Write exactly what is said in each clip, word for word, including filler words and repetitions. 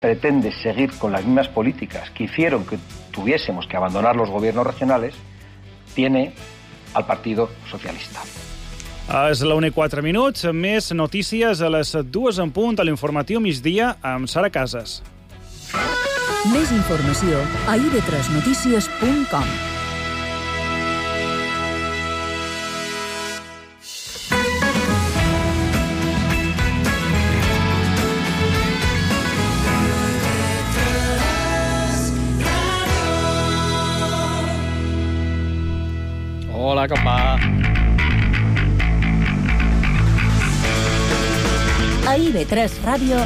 pretende seguir con las mismas políticas que hicieron que tuviésemos que abandonar los gobiernos regionales, tiene al Partido Socialista. És la una i quatre minuts, més notícies a les dues en punt a l'informatiu migdia amb Sara Casas. Més informació a i ve tres notícies punt com. Hola, com va? A i ve tres Ràdio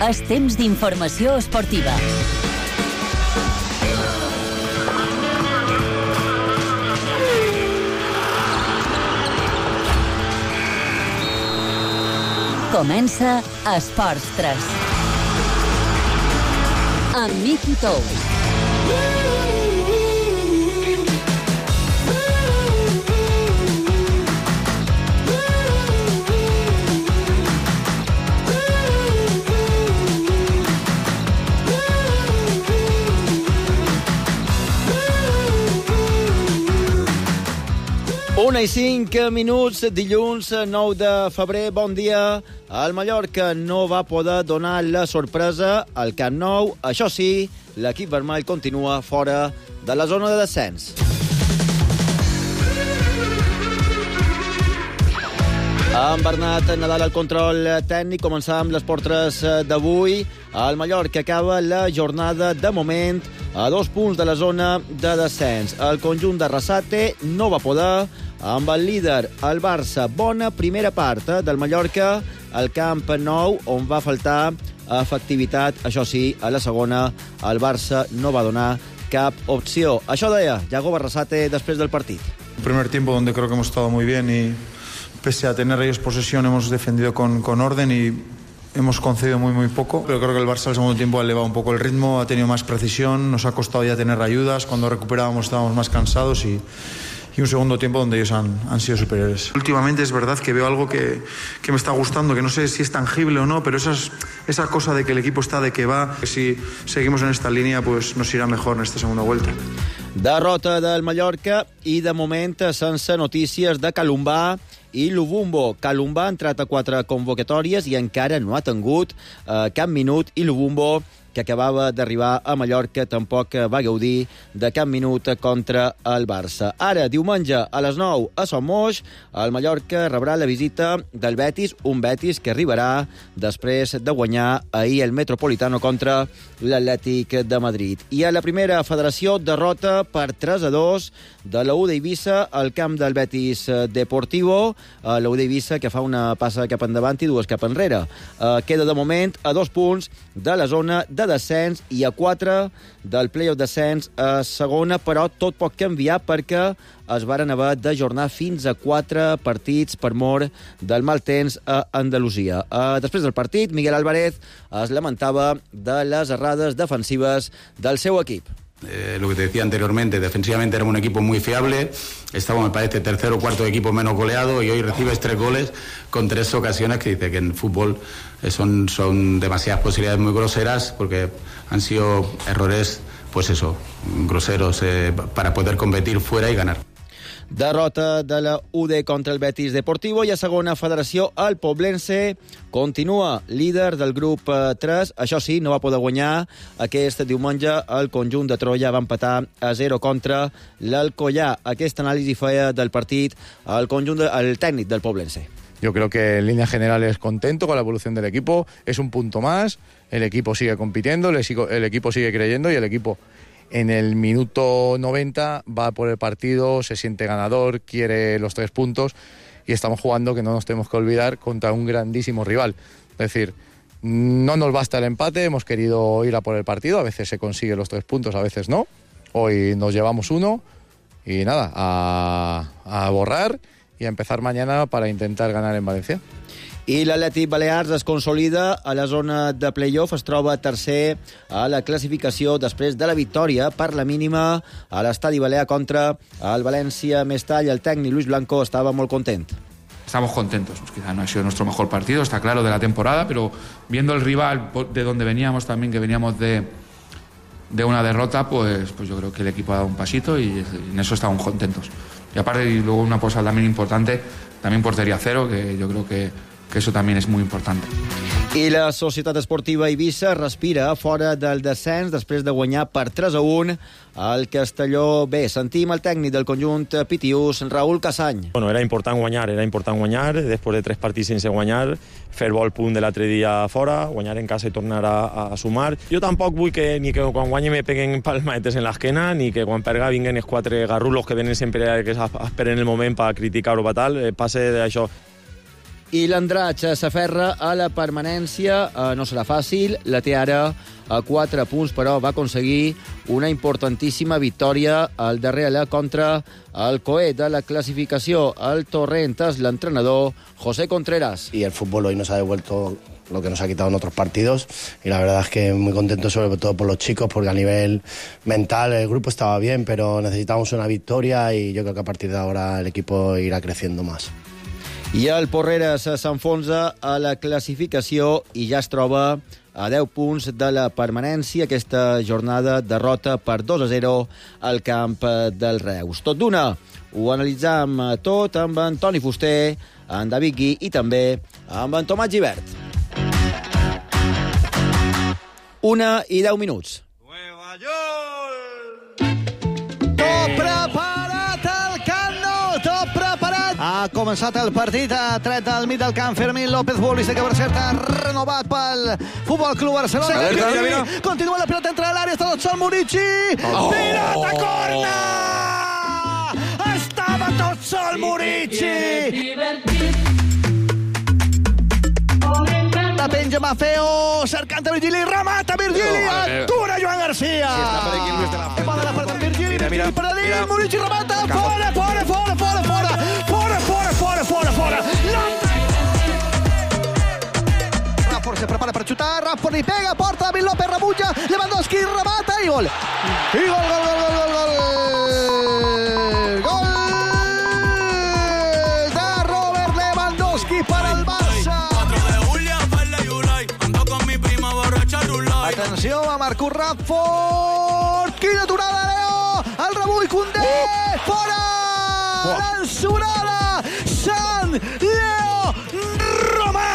és temps d'informació esportiva. Comença Esports tres. Amb Miki Tous. Una i cinc minuts, dilluns nou de febrer, bon dia. El Mallorca no va poder donar la sorpresa al Camp Nou. Això sí, l'equip vermell continua fora de la zona de descens. Amb Bernat Nadal al control tècnic, començar amb les portres d'avui. El Mallorca acaba la jornada de moment a dos punts de la zona de descens. El conjunt de Arrasate no va poder, amb el líder, el Barça. Bona primera part eh, del Mallorca al Camp Nou, on va faltar efectivitat. Això sí, a la segona, el Barça no va donar cap opció. Això deia Yago Arrasate després del partit. Un primer tiempo donde creo que hemos estado muy bien y pese a tener ellos posesión hemos defendido con, con orden y hemos concedido muy muy poco, pero creo que el Barça al segundo tiempo ha elevado un poco el ritmo, ha tenido más precisión, nos ha costado ya tener ayudas, cuando recuperábamos estábamos más cansados y, y un segundo tiempo donde ellos han, han sido superiores. Últimamente es verdad que veo algo que, que me está gustando, que no sé si es tangible o no, pero esas, esa cosa de que el equipo está, de que va, que si seguimos en esta línea pues nos irá mejor en esta segunda vuelta. Derrota del Mallorca i de moment sense notícies de Calumbà i Lubumbo. Calumbà ha entrat a quatre convocatòries i encara no ha tingut eh, cap minut, i Lubumbo, que acabava d'arribar a Mallorca, tampoc va gaudir de cap minut contra el Barça. Ara, diumenge, a les nou, a Somos, el Mallorca rebrà la visita del Betis, un Betis que arribarà després de guanyar ahir el Metropolitano contra l'Atlètic de Madrid. I a la primera federació, derrota per tres a dos de l'U D Eivissa al camp del Betis Deportivo. L'U D Eivissa que fa una passa cap endavant i dues cap enrere. Queda de moment a dos punts de la zona de descens i a quatre del play-off descens a segona, però tot pot canviar perquè es varen haver d'ajornar fins a quatre partits per mor del mal temps a Andalusia. Després del partit, Miguel Álvarez es lamentava de les errades defensives del seu equip. Eh, lo que te decía anteriormente, defensivamente éramos un equipo muy fiable, estamos, me parece, tercer o cuarto equipo menos goleado y hoy recibes tres goles con tres ocasiones que dice que en fútbol eh, son, son demasiadas posibilidades muy groseras porque han sido errores, pues eso, groseros eh, para poder competir fuera y ganar. Derrota de la U D contra el Betis Deportivo i a segona federació el Poblense continua líder del grup tres. Això sí, no va poder guanyar aquest diumenge. El conjunt de Troia va empatar a zero contra l'Alcoyà. Aquesta anàlisi feia del partit el, conjunt de, el tècnic del Poblense. Yo creo que en líneas generales contento con la evolución del equipo. Es un punto más. El equipo sigue compitiendo, el equipo sigue creyendo y el equipo en el minuto noventa va por el partido, se siente ganador, quiere los tres puntos y estamos jugando, que no nos tenemos que olvidar, contra un grandísimo rival. Es decir, no nos basta el empate, hemos querido ir a por el partido, a veces se consigue los tres puntos, a veces no. Hoy nos llevamos uno y nada, a, a borrar y a empezar mañana para intentar ganar en Valencia. I l'Atlètic Balears es consolida a la zona de play-off, es troba tercer a la classificació després de la victòria per la mínima a l'Estadi Balear contra el València Mestall. El tècnic Luis Blanco estava molt content. estamos contentos. Pues quizá no ha sido nuestro mejor partido, está claro, de la temporada, pero viendo el rival de donde veníamos también, que veníamos de, de una derrota, pues, pues yo creo que el equipo ha dado un pasito y en eso estamos contentos. Y aparte, y luego una cosa también importante, también portería cero, que yo creo que, que eso también es muy importante. I la Societat Esportiva Eivissa respira fora del descens després de guanyar per tres a un al Castelló B. Sentim el tècnic del conjunt Pitius, Raúl Casany. Bueno, era important guanyar, era important guanyar, després de tres partits sense guanyar, fer bo el punt de l'altre dia fora, guanyar en casa i tornar a, a sumar. Jo tampoc vull que ni que quan guanyi me peguen palmadetes en l'esquena, ni que quan perga vinguen els quatre garrulos que venen sempre que esperen el moment per criticar o per tal, passe d'això. I l'Andratx s'aferra a la permanència. Eh, no serà fàcil. La té ara a quatre punts, però va aconseguir una importantíssima victòria al darrere contra el coet de la clasificació. El Torrent és l'entrenador José Contreras. Y el fútbol hoy nos ha devuelto lo que nos ha quitado en otros partidos y la verdad es que muy contento sobre todo por los chicos porque a nivel mental el grupo estaba bien pero necesitamos una victoria y yo creo que a partir de ahora el equipo irá creciendo más. I el Porreres s'enfonsa a la classificació i ja es troba a deu punts de la permanència. Aquesta jornada derrota per dos a zero al camp del Reus. Tot d'una, ho analitzam tot amb en Toni Fuster, en David Gui i també amb en Tomàs Gibert. Una i deu minuts. Nueva York! Tot preparat al Camp Nou, tot preparat. Ha començat el partit, ha tret al mig del camp Fermín López, futbolista que per cert ha renovat pel Futbol Club Barcelona. Alerta, mira, mira. Continua la pilota entre l'àrea, està tot sol Murici. Oh. Pilota, corna! Estava tot sol Murici. La penja Mafeo, cercant a Virgili, remata Virgili, atura Joan García. Si està per aquí el Luis de la Fuente. Pone la part amb Virgili, Virgili per a dins, Murici remata, fora, fora, fora, fora, fora, fora, fora, fora, fora, fora. Rafford se prepara per xutar, Rafford li pega, porta, David López rebutja, Lewandowski remata i gol. I gol, gol, gol, gol, gol, gol. Gol de Robert Lewandowski per al Barça. Atenció, a Marcus Rashford. Quina aturada, Leo. El rebull, Koundé. Uh! Fora. Uh! L'ensorada. Sant Leo Romà.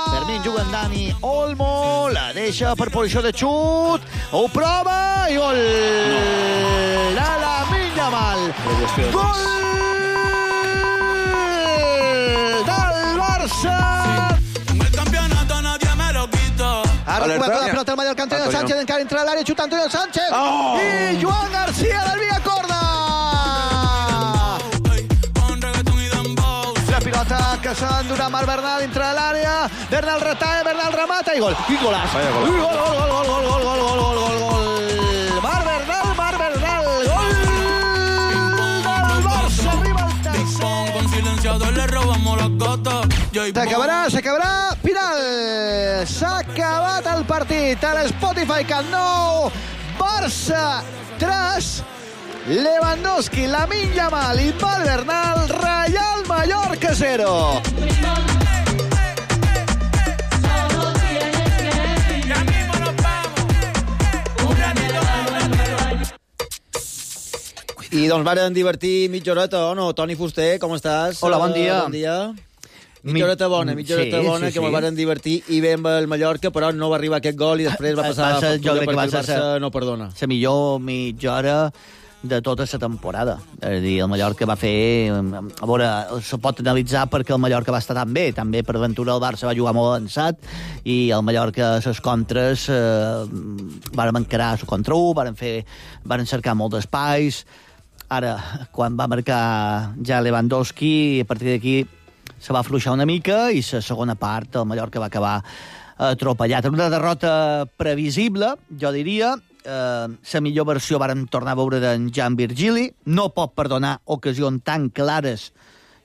Fermín juga amb Dani Olmo. La deixa per posició de xut. Ho prova i gol. No. De Lamine Yamal. Gol del Barça. Ara recupera la pelota el Mallorca, Antonio Sánchez encara entra a l'àrea, xuta Antonio Sánchez oh! i Joan García del via corda. La pilota que s'ha d'endurar Marc Bernal entra a l'àrea, Bernal retalla, Bernal remata i gol. I golaç. I gol, gol, gol, gol, gol, gol, gol, gol, gol, gol, gol. Marc Bernal, Marc Bernal, gol del Barça, arriba el tercer. Con silenciador le robamos las gatas. S'acabarà, s'acabarà, final. S'ha acabat el partit a l'Spotify Camp Nou. Barça tres, Lewandowski, Lamine Yamal i Valbernal, Real Mallorca zero. I doncs varen divertir mitja horeta, o no? Toni Fuster, com estàs? Hola, bon dia. Bon dia. Mitja horeta bona, mitja horeta sí, bona, sí, que sí. Me'l varen divertir i bé amb el Mallorca, però no va arribar aquest gol i després va passar passa, jo crec que va el Barça no perdona. La millor mitja hora de tota la temporada. És a dir, el Mallorca va fer... A veure, se pot analitzar perquè el Mallorca va estar tan bé. També, per aventura, el Barça va jugar molt avançat i el Mallorca, les contres, eh, varen encarar el contra u, varen, fer, varen cercar molt d'espais. Ara, quan va marcar ja Lewandowski, a partir d'aquí se va afluixar una mica i la segona part el Mallorca va acabar atropellat. Una derrota previsible, jo diria. Eh, la millor versió vàrem tornar a veure d'en Gian Virgili. No pot perdonar ocasions tan clares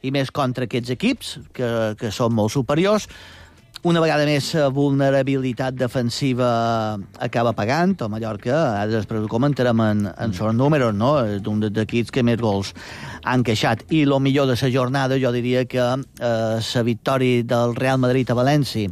i més contra aquests equips, que, que són molt superiors. una vegada més vulnerabilitat defensiva acaba pagant. El Mallorca, ara després ho comentarem en, en els números, no? És un dels equips que més gols han queixat. I el millor de la jornada, jo diria que la eh, victòria del Real Madrid a València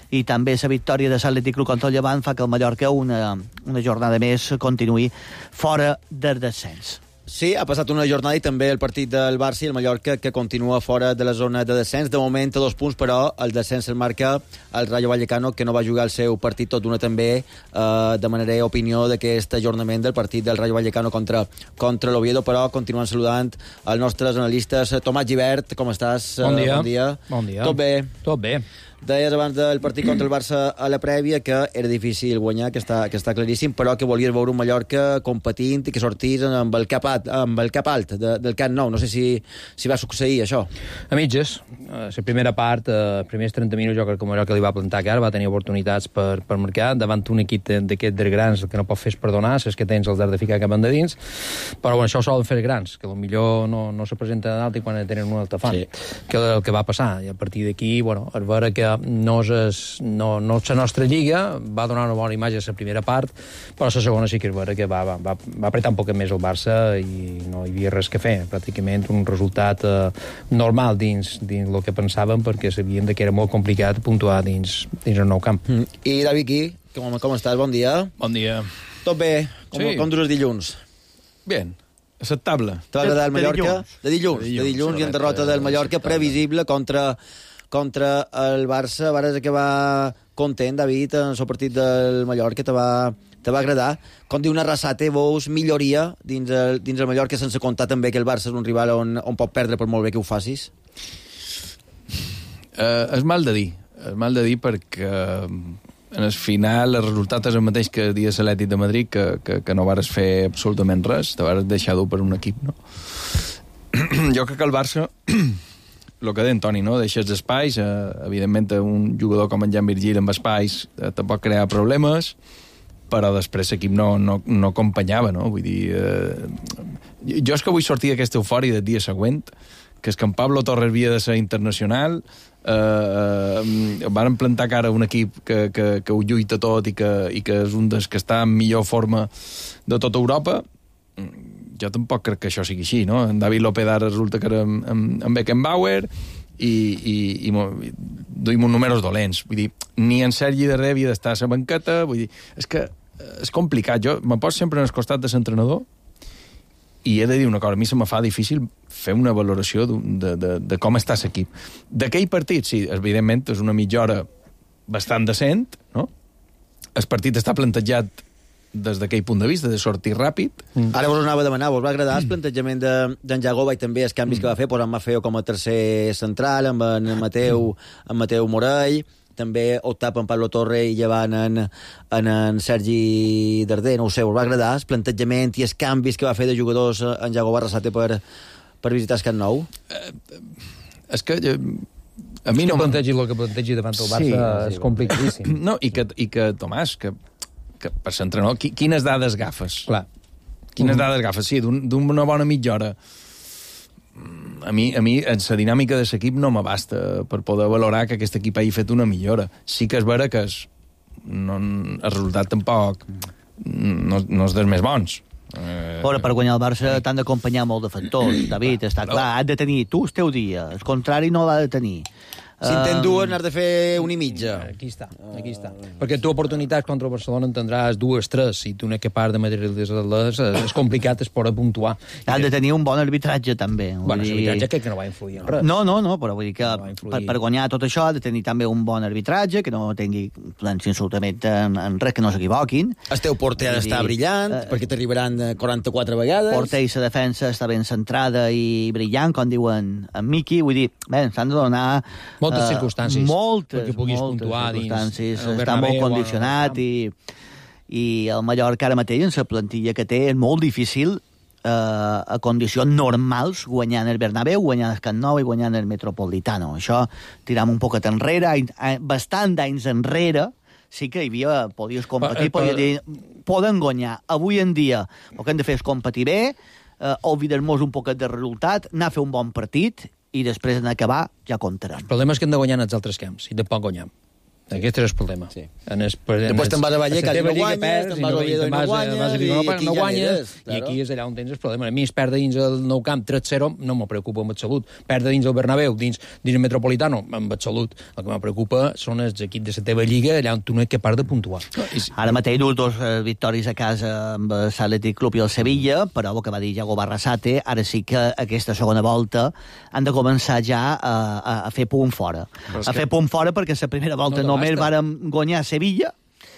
i també la victòria de l'Atlètic Club contra el Llevant fa que el Mallorca una, una jornada més continuï fora del descens. Sí, ha passat una jornada i també el partit del Barça i el Mallorca que continua fora de la zona de descens. De moment a dos punts, però el descens el marca el Rayo Vallecano, que no va jugar el seu partit, tot d'una també eh, demanaré opinió d'aquest ajornament del partit del Rayo Vallecano contra, contra l'Oviedo, però continuem saludant els nostres analistes. Tomàs Gibert, com estàs? Bon dia. Bon dia. Bon dia. Tot bé? Tot bé. Deies abans del partit contra el Barça a la prèvia que era difícil guanyar, que està, que està claríssim, però que volies veure un Mallorca competint i que sortís amb el cap alt, amb el cap alt de, del Camp Nou. No sé si, si va succeir això. A mitges. La primera part, els primers trenta minuts, jo crec que el Mallorca li va plantar cara, va tenir oportunitats per, per marcar, davant un equip d'aquests dels grans que no pot fer és perdonar, és que tens els d'art de ficar cap endins, però bueno, això ho solen fer grans, que potser no, no se presenta d'alt i quan tenen un altre fan. Sí. Que el que va passar. I a partir d'aquí, bueno, es veure que no és, no, no és la nostra lliga, va donar una bona imatge a la primera part, però la segona sí que és vera que va, va, va apretar un poc més el Barça i no hi havia res que fer, pràcticament un resultat eh, normal dins, dins el que pensàvem, perquè sabíem que era molt complicat puntuar dins, dins el nou camp. Mm. I David Qui, com, com estàs? Bon dia. Bon dia. Tot bé? Com, sí. com dures dilluns? Bien. Acceptable. T'ha agradat el Mallorca? De dilluns. De dilluns, de dilluns i en derrota del Mallorca previsible contra, contra el Barça. Vares que va content, David, en el partit del Mallorca. Te va, te va agradar. Com diu una Arrasate, veus milloria dins el, dins el Mallorca, sense comptar també que el Barça és un rival on, on pot perdre per molt bé que ho facis? Uh, és mal de dir. És mal de dir perquè en el final el resultat és el mateix que dia l'Atlètic de Madrid, que, que, que no vares fer absolutament res, te vares deixar dur per un equip, no? Jo crec que el Barça, el que deia en Toni, no? Deixes espais, eh, evidentment un jugador com en Jan Virgil amb espais eh, te pot crear problemes, però després l'equip no, no, no acompanyava, no? Vull dir, eh, jo és que vull sortir d'aquesta eufòria del dia següent, que és que en Pablo Torres havia de ser internacional, eh, eh, van plantar cara a un equip que, que, que ho lluita tot i que, i que és un dels que està en millor forma de tota Europa. Jo tampoc crec que això sigui així, no? En David López ara resulta que era amb, amb, amb Beckenbauer i, i, i, i duim uns números dolents. Vull dir, ni en Sergi Darder havia d'estar a la banqueta, vull dir, és que és complicat. Jo me poso sempre en el costat de l'entrenador i he de dir una cosa, a mi se me fa difícil fer una valoració de, de, de com està l'equip. D'aquell partit, sí, evidentment, és una mitja hora bastant decent, no? El partit està plantejat des d'aquell punt de vista, de sortir ràpid. Mm. Ara vos anava a demanar, vos va agradar el plantejament d'en de, Jagoba i també els canvis mm. que va fer, posant Mafeo com a tercer central, amb en Mateu, en Mateu Morell, també optar per en Pablo Torre i llevant en, en, en Sergi Darder, no ho sé, us va agradar el plantejament i els canvis que va fer de jugadors en Jagoba Arrasate per, per visitar el Camp Nou? Eh, és que eh, a mi és no... que plantegi el que plantegi davant el Barça sí, és sí, complicadíssim. No, i que, i que Tomàs, que, que per l'entrenador, qui, quines dades agafes? Clar. Quines mm. dades agafes? Sí, d'una un, bona mitja hora. A mi, a mi en la dinàmica de l'equip no m'abasta per poder valorar que aquest equip hagi fet una millora. Sí que és vera que és, no, el resultat tampoc no, no és dels més bons. Eh, Però per guanyar el Barça t'han d'acompanyar molt de factors, David, està clar, has de tenir tu el teu dia, el contrari no l'ha de tenir. Si en tens dues, n'has de fer una i mitja. Aquí està, aquí està. Perquè tu oportunitats contra el Barcelona en tindràs dues, tres, si tu n'és capaç de materialitzar-les, és complicat, es pot puntuar. Has de tenir un bon arbitratge, també. Bueno, dir... l'arbitratge crec que no va influir en res. No, no, no, però vull dir que no per, per guanyar tot això ha de tenir també un bon arbitratge, que no tingui influència absolutament en, en res, que no s'equivoquin. El teu porter dir, està brillant, uh, perquè t'arribaran quaranta-quatre vegades. Porter i la defensa està ben centrada i brillant, com diuen en Miqui, vull dir, bé, s'han de donar... Moltes uh, circumstàncies. Moltes, perquè puguis moltes puntuar circumstàncies. Està molt condicionat i, i el Mallorca ara mateix, en la plantilla que té, és molt difícil eh, a condicions normals guanyant el Bernabéu, guanyant el Camp Nou i guanyant el Metropolitano. Això tiram un poquet enrere, bastant d'anys enrere, sí que hi havia, podies competir, però, podies dir, poden guanyar. Avui en dia el que hem de fer és competir bé, eh, oblidar-nos un poquet de resultat, anar a fer un bon partit i després en acabar ja comptarem. El problema és que hem de guanyar en els altres camps, i tampoc guanyem. Aquest és el problema. Sí. En el, en Després te'n vas a Vallecas i no guanyes, perds, te'n vas a Oviedo i no guanyes, vas a i no, aquí no ja guanyes, eres, claro. I aquí és allà on tens el problema. A mi es perdre dins el Nou Camp tres zero no me preocupa amb absolut. Perdre dins el Bernabéu, dins, dins el Metropolitano, amb absolut. El que me preocupa són els equips de la teva lliga, allà on tu no ets capaç de puntuar. Ara mateix dues dos eh, victòries a casa amb l'Atlètic Club i el Sevilla, però el que va dir Iago Barrasate, ara sí que aquesta segona volta han de començar ja a, a, a fer punt fora. A que... fer punt fora perquè la primera volta no només vàrem guanyar Sevilla,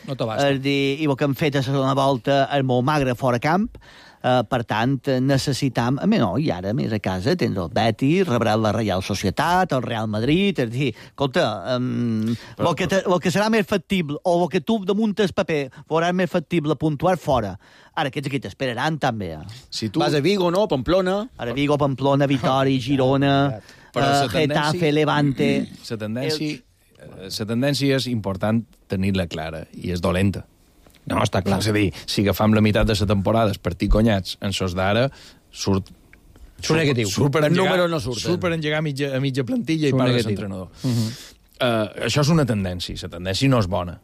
no t'abasta. És dir, i el que hem fet a la segona volta és molt magre fora camp, uh, per tant, necessitam... A mi no, i ara, més a casa, tens el Betis, rebrà la Real Societat, el Real Madrid, és dir, escolta, um, el, que te, el que serà més factible, o el que tu damunt el paper veuràs més factible puntuar fora, ara aquests aquí t'esperaran també. Eh? Si tu... Vas a Vigo, no? Pamplona? Ara Vigo, Pamplona, Vitori, Girona, uh, Getafe, Levante... La tendència... La tendència és important tenir-la clara, i és dolenta. No, està clar. És a dir, si agafam la meitat de la temporada, els partits guanyats, en sos d'ara, surt... Surt negatiu. Surt per el engegar, número no surten. Surt per engegar a mitja, a mitja plantilla surt i part de negatiu. l'entrenador. Uh -huh. uh, això és una tendència, la tendència no és bona.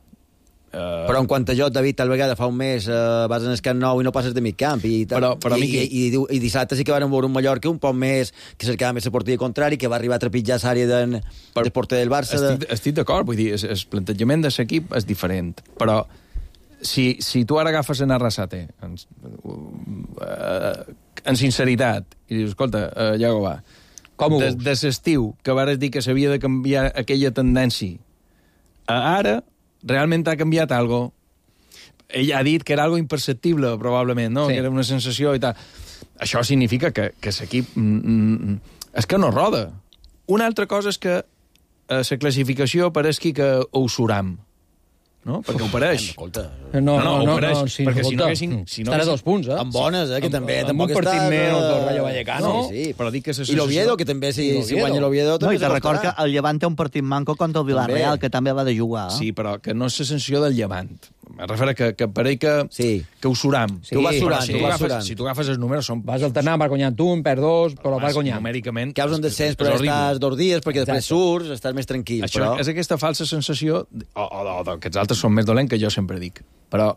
Uh... Però en quant a jo, David, tal vegada fa un mes uh, vas en el Camp Nou i no passes de mig camp i, però, però i, Miqui... i, i, i dissabte sí que van veure un Mallorca un poc més que cercava més la porteria contrari, que va arribar a trepitjar l'àrea de, per... del porter del Barça. Estic, de... estic d'acord, vull dir, el, el plantejament de l'equip és diferent, però si, si tu ara agafes en Arrasate en, uh, en sinceritat i dius, escolta, uh, Iago, va, com de, de l'estiu que vares dir que s'havia de canviar aquella tendència a ara realment ha canviat algo. Ell ha dit que era algo imperceptible, probablement, no? Sí. Que era una sensació i tal. Això significa que, que l'equip mm, mm, és que no roda. Una altra cosa és que a la classificació pareixi que ho suram, no? Perquè ho pareix. Escolta. No, no, no, ho pareix, no, sí, perquè si no escolta, haguessin... Si no estarà haguessin... dos punts, eh? Amb bones, eh? Que també... Amb un partit menys del Rayo Vallecano. Sí, sí. Però dic que I l'Oviedo, que també, si, si guanya l'Oviedo... No, i te record que el Llevant té un partit manco contra el Villarreal, que també va de jugar. Sí, però que no és la sensació del Llevant. Me refereix que, que pareix que, sí. que ho suram. Sí, tu vas surant, si tu vas surant. Si tu agafes els números, són... Vas alternant, vas guanyant un, per dos, però vas guanyant. Numèricament... Caus un descens, però estàs dos dies, perquè després surts, estàs més tranquil. Això però... és aquesta falsa sensació, o, o, o que els altres són més dolents, que jo sempre dic. Però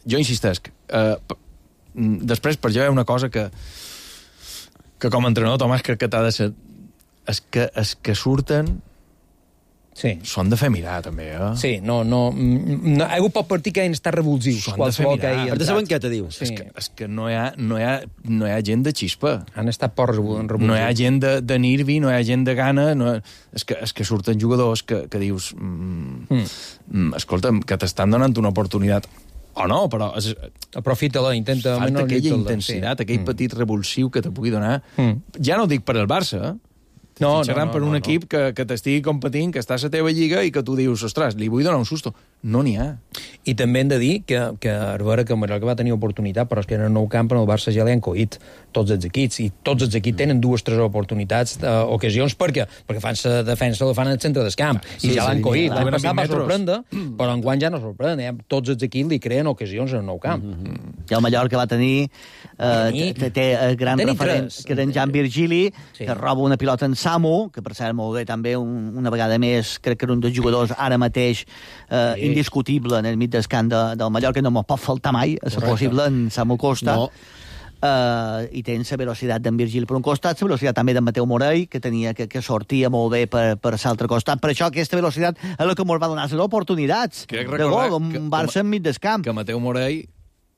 jo insistesc, eh, després per jo hi ha una cosa que, que com a entrenador, Tomàs, crec que t'ha de ser... És que, és que surten... Sí. Són de fer mirar, també, eh? Sí, no, no... no algú pot partir que han estat revulsius. Són de fer mirar. Has de saber què te dius. Sí. És, que, és que no hi, ha, no, hi ha, no hi ha gent de xispa. Han estat poc revulsius. No hi ha gent de, de nervi, no hi ha gent de gana. No, és, que, és que surten jugadors que, que dius... Mm, mm. Escolta, que t'estan donant una oportunitat. O no, però... És, aprofita-la, intenta... Falta aquella intensitat, sí. aquell mm. petit revulsiu que te pugui donar. Mm. Ja no ho dic per al Barça, eh? No, no, no, per un no, equip no. que, que t'estigui competint, que està a la teva lliga i que tu dius, ostres, li vull donar un susto. No n'hi ha. I també hem de dir que, que Arbera, que Mallorca va tenir oportunitat, però és que en el Nou Camp en el Barça ja li han coït tots els equips, i tots els equips tenen dues o tres oportunitats, eh, ocasions, perquè perquè fan la defensa, la fan al centre del camp, sí, i ja sí, l'han coït. L'any passat va sorprendre, però enguany ja no sorprèn. Eh? Tots els equips li creen ocasions en el Nou Camp. Mm -hmm. I el Mallorca va tenir, eh, té, té el gran tenir referent, tres. que era en Jan Virgili, sí. que roba una pilota en Samu, que per cert molt bé també un, una vegada més, crec que era un dels jugadors ara mateix eh, sí. indiscutible en el mig del camp de, del Mallorca, no me'n pot faltar mai, a ser possible, en Samu Costa. No. Uh, i tens la velocitat d'en Virgili per un costat, la velocitat també d'en Mateu Morell, que tenia que, que sortia molt bé per, per l'altre costat. Per això aquesta velocitat és la que ens va donar les oportunitats de gol, un Barça enmig del camp. Que Mateu Morell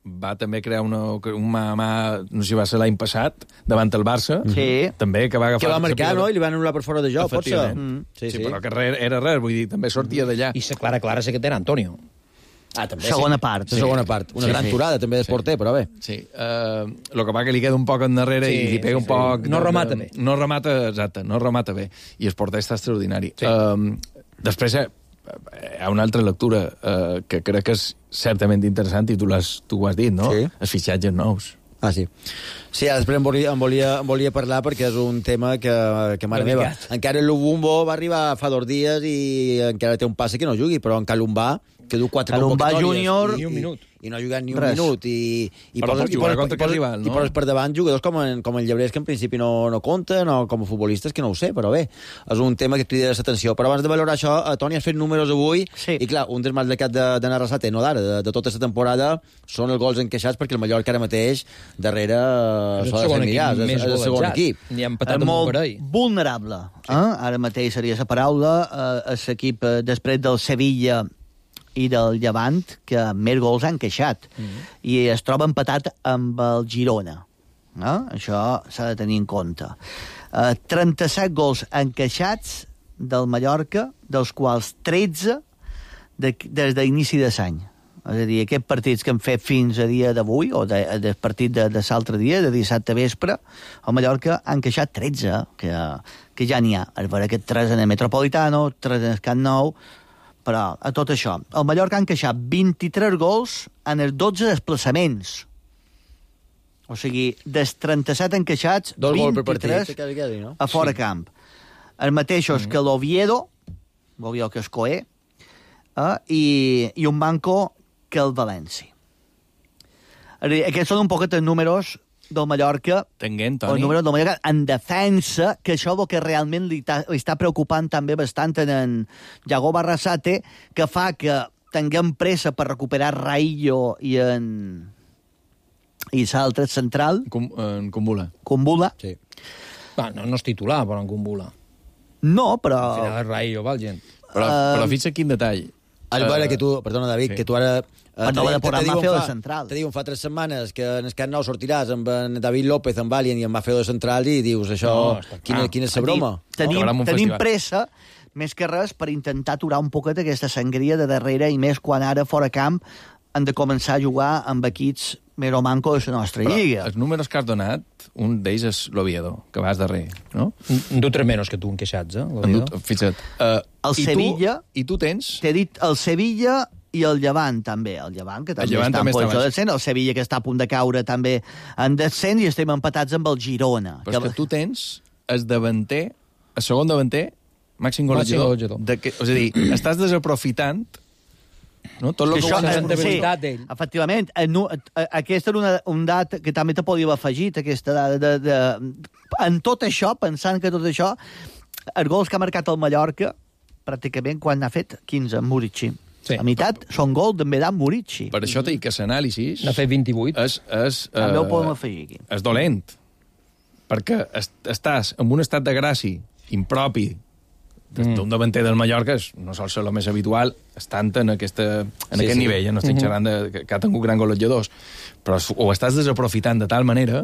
va també crear una, un mà, mà, no sé si va ser l'any passat, davant el Barça, sí. també, que va agafar... Que va marcar, no? I li van anul·lar per fora de joc, força. Mm. Sí, sí, sí, però que res, era res, vull dir, també sortia d'allà. I la clara, clara, sé que era Antonio. Ah, també, segona sí. part. Sí. Segona part. Una sí, gran sí. turada, també, d'esporter, sí. però bé. Sí. Uh, lo que va que li queda un poc endarrere sí, i li pega sí, un poc... Sí. No remata bé. No remata, exacte, no remata bé. I el porter està extraordinari. Sí. Uh, després hi ha, hi ha una altra lectura uh, que crec que és certament interessant, i tu, tu ho has dit, no? Sí. Els fitxatges nous. Ah, sí. Sí, després em volia, em volia, em volia parlar perquè és un tema que, que mare meva... Encara el Lubumbo va arribar fa dos dies i encara té un passe que no jugui, però en Calumbà que du quatre Calumba convocatòries júnior... i, Ni un minut. I, i no ha jugat ni un Res. minut i, i, Però poses, pot i, jugar poses, contra i, poses, Carrival, no? i poses per davant jugadors com en, com en Llebrers, que en principi no, no compten, o com a futbolistes, que no ho sé, però bé, és un tema que crida l'atenció. Però abans de valorar això, eh, Toni, has fet números avui, sí. i clar, un dels mals de cap de, de Narrasate, no d'ara, de, de tota la temporada, són els gols encaixats, perquè el Mallorca ara mateix, darrere, És el s'ho ha de segon fer mirar, equip és, més és el segon golejat. equip. Ni ha empatat És amb un molt parell. vulnerable. Sí. Eh? Ara mateix seria la paraula. Eh, és l'equip, eh, després del Sevilla i del Llevant, que més gols han queixat. Mm -hmm. I es troba empatat amb el Girona. Eh? Això s'ha de tenir en compte. Eh, trenta-set gols encaixats del Mallorca, dels quals tretze de, des d'inici de l'any. És a dir, aquests partits que hem fet fins a dia d'avui, o de, del partit de, de l'altre dia, de dissabte vespre, el Mallorca han queixat tretze, que, que ja n'hi ha. És vera que tres en el Metropolitano, tres en el Camp Nou, però a tot això. El Mallorca han queixat vint-i-tres gols en els dotze desplaçaments. O sigui, dels trenta-set encaixats, Dos gols per vint-i-tres partit, quasi, quasi, no? a fora Sí. camp. Els mateixos mm -hmm. que l'Oviedo, l'Oviedo que és Coé, eh, i, i un banco que el València. Aquests són un poquet els números del Mallorca, Tenguent, el Toni. número del Mallorca en defensa, que això és el que realment li, ta, li està preocupant també bastant en, en Yago Barrasate, que fa que tinguem pressa per recuperar Raillo i en i l'altre central. Com, en Kumbula. Kumbula. Sí. Va, no, no és titular, però en Kumbula. No, però... Al final és Raillo, val, gent. Però, Uh, però fixa quin detall. És Eh, vera que tu, perdona, David, sí. que tu ara... Per no haver de posar Mafeo de central. Te diuen fa tres setmanes que en el Camp Nou sortiràs amb en David López, amb Valien i amb Mafeo de central i dius, això, No, està quina, clar. quina és la broma? Tenim, Acabarà amb un tenim festival. pressa, més que res, per intentar aturar un poquet aquesta sangria de darrere, i més quan ara, fora camp, han de començar a jugar amb equips més o manco de la nostra Però lliga. els números que has donat, un d'ells és l'Oviedo, que vas darrer, no? En du tres menys que tu enqueixats, eh? En dut, fixa't. Uh, El i Sevilla... Tu, I tu tens... T'he dit el Sevilla i el Llevant, també. El Llevant, que també Llevant està també en està posició de baix. descens. El Sevilla, que està a punt de caure, també en descens, i estem empatats amb el Girona. Però és que tu tens el davanter, el segon davanter, màxim golejador. golejador. De que, és a dir, estàs desaprofitant, no? Tot el que, això, guanyes eh, en sí, veritat d'ell. efectivament. Eh, no, eh, aquesta era una, un dat que també te podíem afegir, aquesta dada de, de, en tot això, pensant que tot això, els gols que ha marcat el Mallorca, pràcticament quan n'ha fet quinze, en Murici. Sí. A meitat són gols també d'en Murici. Per això t'he dit que l'anàlisi N'ha fet vint-i-vuit. és, és, També ho eh, podem afegir aquí. és dolent. Perquè est estàs en un estat de gràcia impropi d'un mm. davanter del Mallorca, és, no sol ser el més habitual, estant en, aquesta, en Sí, aquest sí. nivell, eh? No estic xerrant de, que, que ha tingut gran golejadors, però ho estàs desaprofitant de tal manera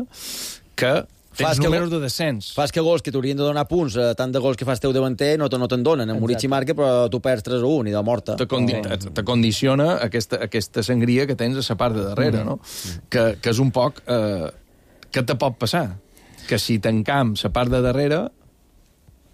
que tens Fas que números go- de descens. Fas que gols que t'haurien de donar punts, eh, tant de gols que fas teu davanter, no, te- no te'n donen. En Murici marca, però tu perds tres a un i de morta. te, condi te, te condiciona aquesta, aquesta sangria que tens a la part de darrere, no? Que, que és un poc... Eh, què te pot passar? Que si tancam la part de darrere,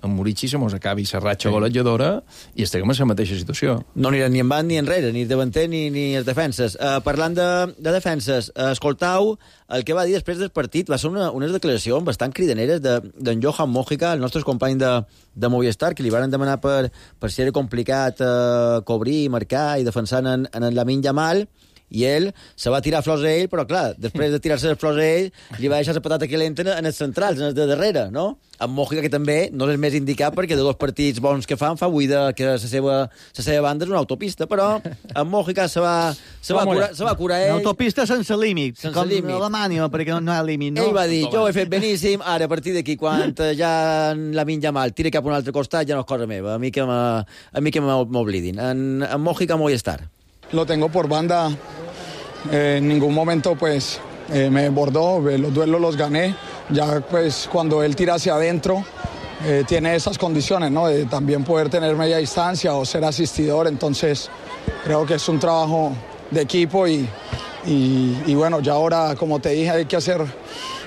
en Murici se mos acabi la ratxa sí. golejadora i estem en la mateixa situació. No aniran ni en van ni enrere, ni davanter ni, ni els defenses. Uh, parlant de, de defenses, uh, escoltau el que va dir després del partit. Va ser una, unes declaracions bastant cridaneres d'en de, Johan Mojica, el nostre company de, de Movistar, que li van demanar per, per si era complicat uh, cobrir, marcar i defensar en, en Lamine Yamal, i ell se va tirar flors a ell, però clar, després de tirar-se les flors a ell, li va deixar la patata calenta en els centrals, en els de darrere, no? Amb Mojica, que també no és més indicat, perquè de dos partits bons que fan, fa buida que la seva, la seva banda és una autopista, però amb Mojica se va, se va, curar, se va curar ell. Una autopista sense límit, Sense com límit. Alemanya, perquè no, no hi ha límit, no? Ell va dir, jo ho he fet beníssim, ara a partir d'aquí, quan ja la Lamine Yamal tira cap a un altre costat, ja no és cosa meva, a mi que m'ha- a mi que m'oblidin. En, en Mojica m'ho hi estar. Lo tengo por banda, eh, en ningún momento pues eh, me desbordó, eh, los duelos los gané, ya pues cuando él tira hacia adentro eh, tiene esas condiciones, ¿no? De también poder tener media distancia o ser asistidor, entonces creo que es un trabajo de equipo y, y, y bueno, ya ahora como te dije hay que hacer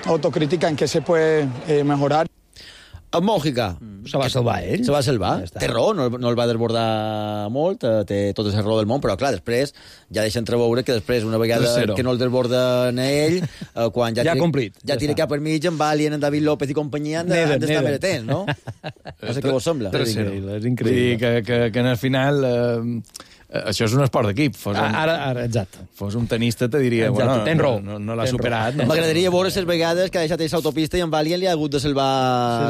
autocrítica en qué se puede eh, mejorar. En Mojica. Se va salvar ell. Se va salvar. Ja està. Té raó, no, no el va desbordar molt, eh, té tota la raó del món, però clar, després ja deixa entreveure que després, una vegada Tercero. que no el desborden a ell, eh, quan ja, Ja ha tira, complit, ja ja tira està. cap per mig, en Valien, en David López i companyia han de- Neder, han d'estar Neder. més atents, no? No sé què vos sembla. Tercero. increïble, és Vull increïble. dir que, que, que en el final... Eh, això és un esport d'equip. Fos un, Ara, ara, exacte. Fos un tenista, te diria, Exacte, bueno, tens raó. no, no, no l'ha Tens superat. raó. No? M'agradaria veure les vegades que ha deixat aquesta autopista i en Valien li ha hagut de salvar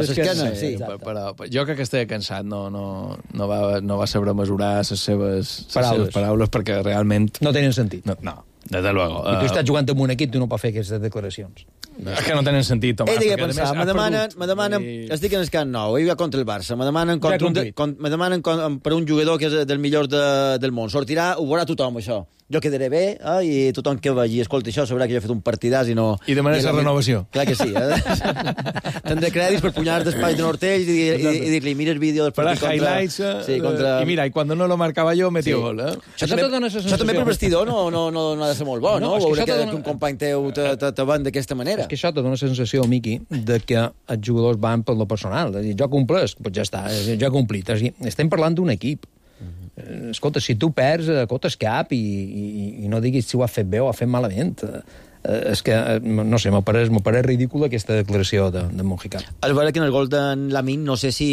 l'esquena. Sí, però, però jo crec que estava cansat, no, no, no, va, no va saber mesurar les seves, les Paraules. seves paraules perquè realment... No tenen sentit. No, no desde luego. I tu Uh, estàs jugant amb un equip, tu no pots fer aquestes declaracions. és que no tenen sentit, Tomàs. Ell deia perquè, a pensar, més, me ha demanen, perdut. me demanen, I- estic en el Camp Nou, ell va contra el Barça, me demanen, Ja contra un de, complit. con, me demanen con, per un jugador que és del millor de, del món. Sortirà, ho veurà tothom, això. Jo quedaré bé, eh, i tothom que vegi, escolta això, sabrà que jo he fet un partidàs i no... I demanaràs la no- renovació. Clar que sí, eh? Tindré crèdits per punyar d'espai de Nortell i, i, i, i dir-li, mira el vídeo del Para partit contra... highlights, eh, sí, contra... i mira, i quan no lo marcava jo, metia Sí. gol, eh? Això també, això també per vestidor no, no, no, no ha de ser molt bo, no? No, és que Veure això que, te dona- que un company teu te, te, te van d'aquesta manera. És que això te dona la sensació, Miqui, de que els jugadors van per lo personal. És a dir, jo compleix, doncs ja està, és a dir, jo he complit. És a dir, estem parlant d'un equip. Eh, Escolta, si tu perds, eh, cotes cap i, i, i no diguis si ho has fet bé o has fet malament. Eh, és que, eh, no sé, m'ha pareix, m'ha pareix ridícula aquesta declaració de, de Mojica. És vera que en el gol d'en Lamin, no sé si,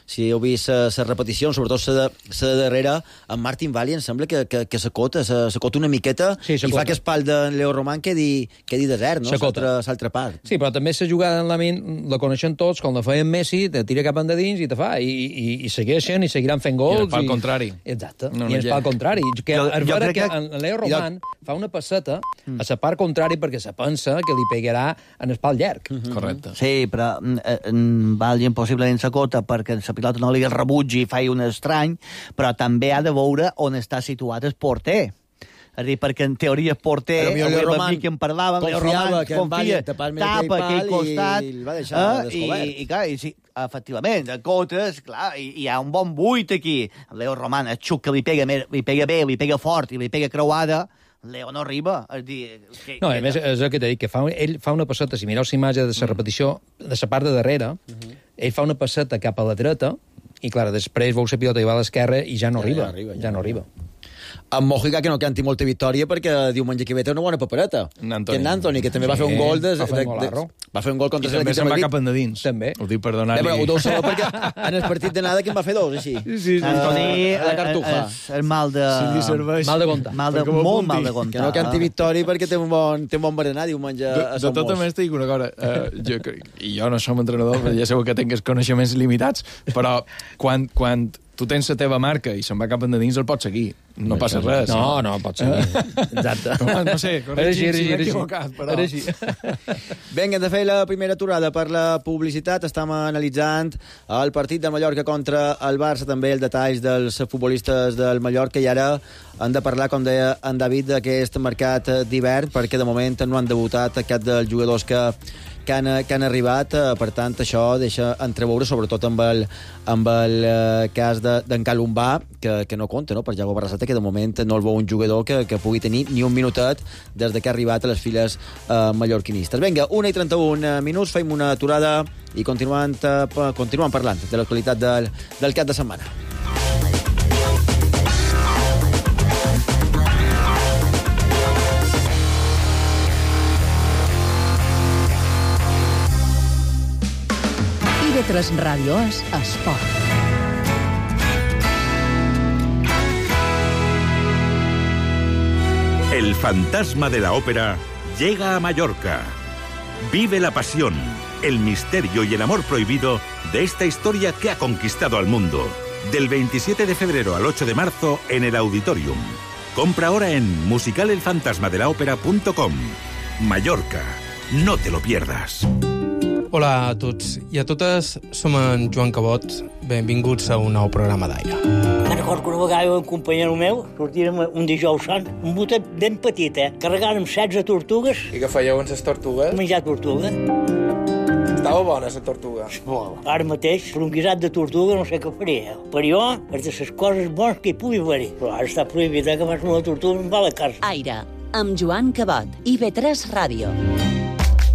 si heu vist la repetició, sobretot la de, de darrere, en Martin Valli em sembla que, que, que s'acota, s'acota una miqueta Sí, i s'acota. fa que espal d'en Leo Roman quedi, quedi desert, no? S'acota. L'altra part. Sí, però també la jugada en la ment la coneixen tots, com la feien Messi, te tira cap endins i te fa, i, i, i segueixen i seguiran fent gols. I el pal contrari. Exacte, No, no, i no el hi ha. pal contrari. Que Jo- és jo vera crec que, que- en Leo Roman fa una passeta a la part contrària perquè se pensa que li pegarà en el pal llarg. Correcte. Sí, però eh, en Valgien possiblement s'acota perquè la pilota no li rebutgi i faci un estrany, però també ha de veure on està situat el porter. És a dir, perquè en teoria el porter, Però millor Leo avui Roman amb qui en parlàvem, Leo confiava Roman que en confia, Valgien tapar-me aquell tapa aquell pal i- costat, i el va deixar eh, descobert. I, i, clar, i sí, efectivament, acotes, clar, i, i hi ha un bon buit aquí. Leo Roman, el xuc que li pega, més- li pega bé, li pega fort i li pega creuada, Leo no arriba. És dir, que, No, a que- més, és el que t'he dit, que fa, ell fa una passeta, si mireu la imatge de la repetició, de la part de darrere, ell fa una passeta cap a la dreta, i, clar, després veu la pilota i va a l'esquerra i ja no Ja, arriba. ja arriba, ja ja no no arriba. En Mojica, que no canti molta victòria perquè diumenge que ve té una bona papereta. En Antoni. Que en Antoni, que també va Sí, fer un gol de, va fer un de, golarro. de, va fer un gol I contra també l'equip se'n de va Madrid. cap endins. També. Ho dic per Eh, donar-li... però ho deu saber perquè en el partit d'anada que en va fer dos, així. Sí, sí, sí. Antoni, A la cartuja. és el mal de... Si li serveix. Mal de comptar. Mal de, Perquè m'ho molt apunti. mal de comptar. Que no canti victòria perquè té un bon, té un bon berenar diumenge De, a de Sant tota Mos. més, t'he dit una cosa. Uh, jo, crec- I jo no som entrenador, però ja sabeu que tinc els coneixements limitats, però quan, quan tu tens la teva marca i se'n va cap endins, el pots seguir. No passa res. No, no, pot ser. Exacte. No, no sé, Era així, corregim era si així, m'he era així. equivocat, però... Era així. Vinga, hem de fer la primera aturada per la publicitat. Estem analitzant el partit de Mallorca contra el Barça, també els detalls dels futbolistes del Mallorca, i ara han de parlar, com deia en David, d'aquest mercat d'hivern, perquè de moment no han debutat cap dels jugadors que que han, que han arribat, eh, per tant això deixa entreveure, sobretot amb el, amb el eh, cas de- d'en Calumbà, que, que no compta, no?, per Iago Barrasate, que de moment no el veu un jugador que, que pugui tenir ni un minutet des de que ha arribat a les files eh, mallorquinistes. Vinga, una i trenta-un minuts, fem una aturada i continuant, eh, pa- continuem parlant de l'actualitat del, del cap de setmana. I V tres Ràdio és esport. El fantasma de la ópera llega a Mallorca. Vive la pasión, el misterio y el amor prohibido de esta historia que ha conquistado al mundo. Del veintisiete de febrero al ocho de marzo en el Auditorium. Compra ahora en musical el fantasma de la ópera punto com. Mallorca, no te lo pierdas. Hola a tots i a totes, som en Joan Cabot. Benvinguts a un nou programa d'aire. Me'n recordo que una vegada un companyero meu sortírem un dijous sant, un botet ben petit, eh? Carregàrem setze tortugues. I què fèieu amb les tortugues? Menjar tortuga. Estava bona, la tortuga. Molt. Ara mateix, per un guisat de tortuga no sé què faria. Per jo, és de les coses bones que hi pugui haver-hi. Però ara està prohibit, eh, que fas una tortuga em va a la casa. Aire, amb Joan Cabot, I V tres Ràdio.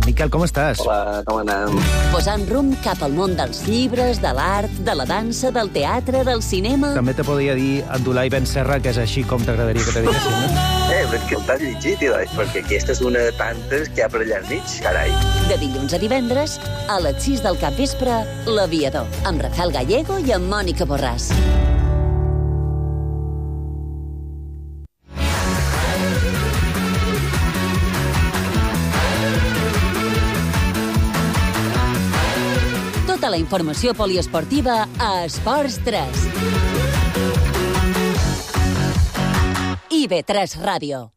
Miquel, com estàs? Hola, com anem? Posant rumb cap al món dels llibres, de l'art, de la dansa, del teatre, del cinema... També te podria dir Abdulai Ben Serra, que és així com t'agradaria que te diguessin, no? Eh, però és que el t'has llegit, Ilai, perquè aquesta és una de tantes que hi ha per allà enmig, carai. De dilluns a divendres, a les sis del capvespre, L'Aviador, amb Rafael Gallego i amb Mònica Borràs. la informació poliesportiva a Esports tres. I B tres Ràdio.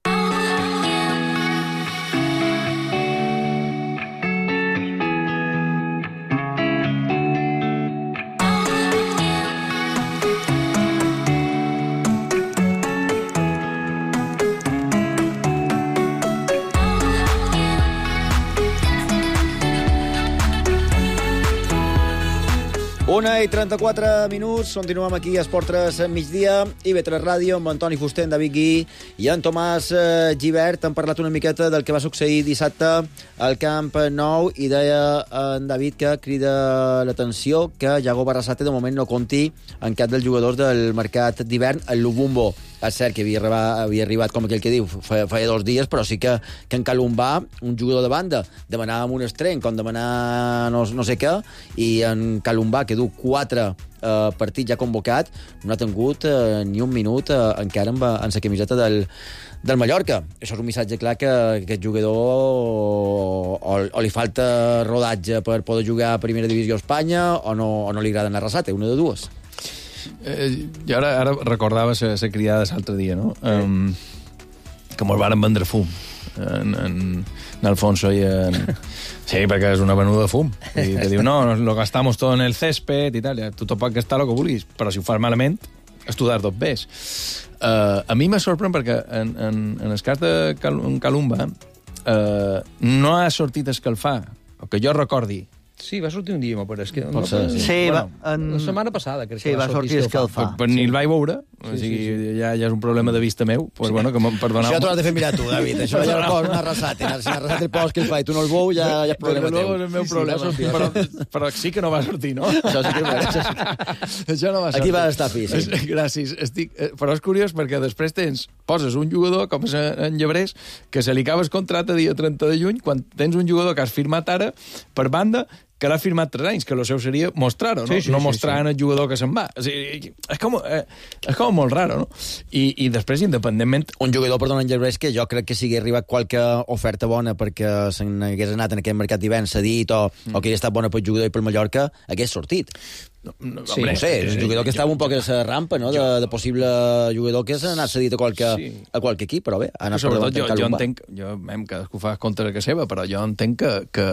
Una i trenta-quatre minuts, continuem aquí a Esport tres migdia, I B tres Ràdio, amb Antoni Fuster, en David Guí i en Tomàs eh, Gibert. Han parlat una miqueta del que va succeir dissabte al Camp Nou i deia en David que crida l'atenció que Yago Barrasate de moment no compti en cap dels jugadors del mercat d'hivern al Lubumbo. És cert que havia arribat, havia arribat com aquell que diu, feia, feia dos dies, però sí que, que en Calumbà, un jugador de banda, demanava un estrenc, com demanar no, no sé què, i en Calumbà, que du quatre eh, partits ja convocat, no ha tingut eh, ni un minut eh, encara amb, en la camiseta del, del Mallorca. Això és un missatge clar que, que aquest jugador o, o, o li falta rodatge per poder jugar a Primera Divisió a Espanya o no, o no li agrada anar a Arrasate, una de dues. Eh, jo ara, ara recordava la criada l'altre dia, no? Um, que mos varen vendre fum en, en, en Alfonso i en... Sí, perquè és una venuda de fum. I te diu, no, lo gastamos todo en el césped i tal. Tu tot pot gastar el que vulguis, però si ho fas malament, estudar dos bes. Uh, a mi me sorprèn perquè en, en, en el cas de Cal Calumba uh, no ha sortit a escalfar, o que jo recordi. Sí, va sortir un dia, però és que... No, sí, sí bueno, va, en... la setmana passada, crec sí, que va, va sortir a escalfar. Però ni el vaig veure, o sí, sigui, sí, sí. Ja, ja és un problema de vista meu, pues, bueno, que perdoneu. Això t'ho has de fer mirar tu, David, això ja no pots anar arrasat, si arrasat el post que el fa i tu no el veu, ja, ja és problema teu. És el meu problema, sí, sí, però, però sí que no va sortir, no? Això sí que no va sortir. Això no va sortir. Aquí va estar fi, sí. Gràcies. Estic, però és curiós perquè després tens, poses un jugador, com és en Llebrés, que se li acaba el contracte dia trenta de juny, quan tens un jugador que has firmat ara, per banda, que l'ha firmat tres anys, que el seu seria mostrar-ho, no? Sí, sí, no mostrar sí, sí. en el jugador que se'n va. O sigui, és, com, eh, és com molt raro, no? I, i després, independentment... Un jugador, perdona, en Gervais, que jo crec que si hagués arribat qualque oferta bona perquè se n'hagués anat en aquest mercat d'hivern cedit o, mm. o que hagués estat bona pel jugador i pel Mallorca, hagués sortit. No, no, sí, no sé, és un jugador que estava un poc a la rampa, no?, de, de possible jugador que s'ha anat cedit a qualque, sí. a qualque equip, però bé, ha anat per davant jo, jo entenc, jo, hem, cadascú fa compte que seva, però jo entenc que, que,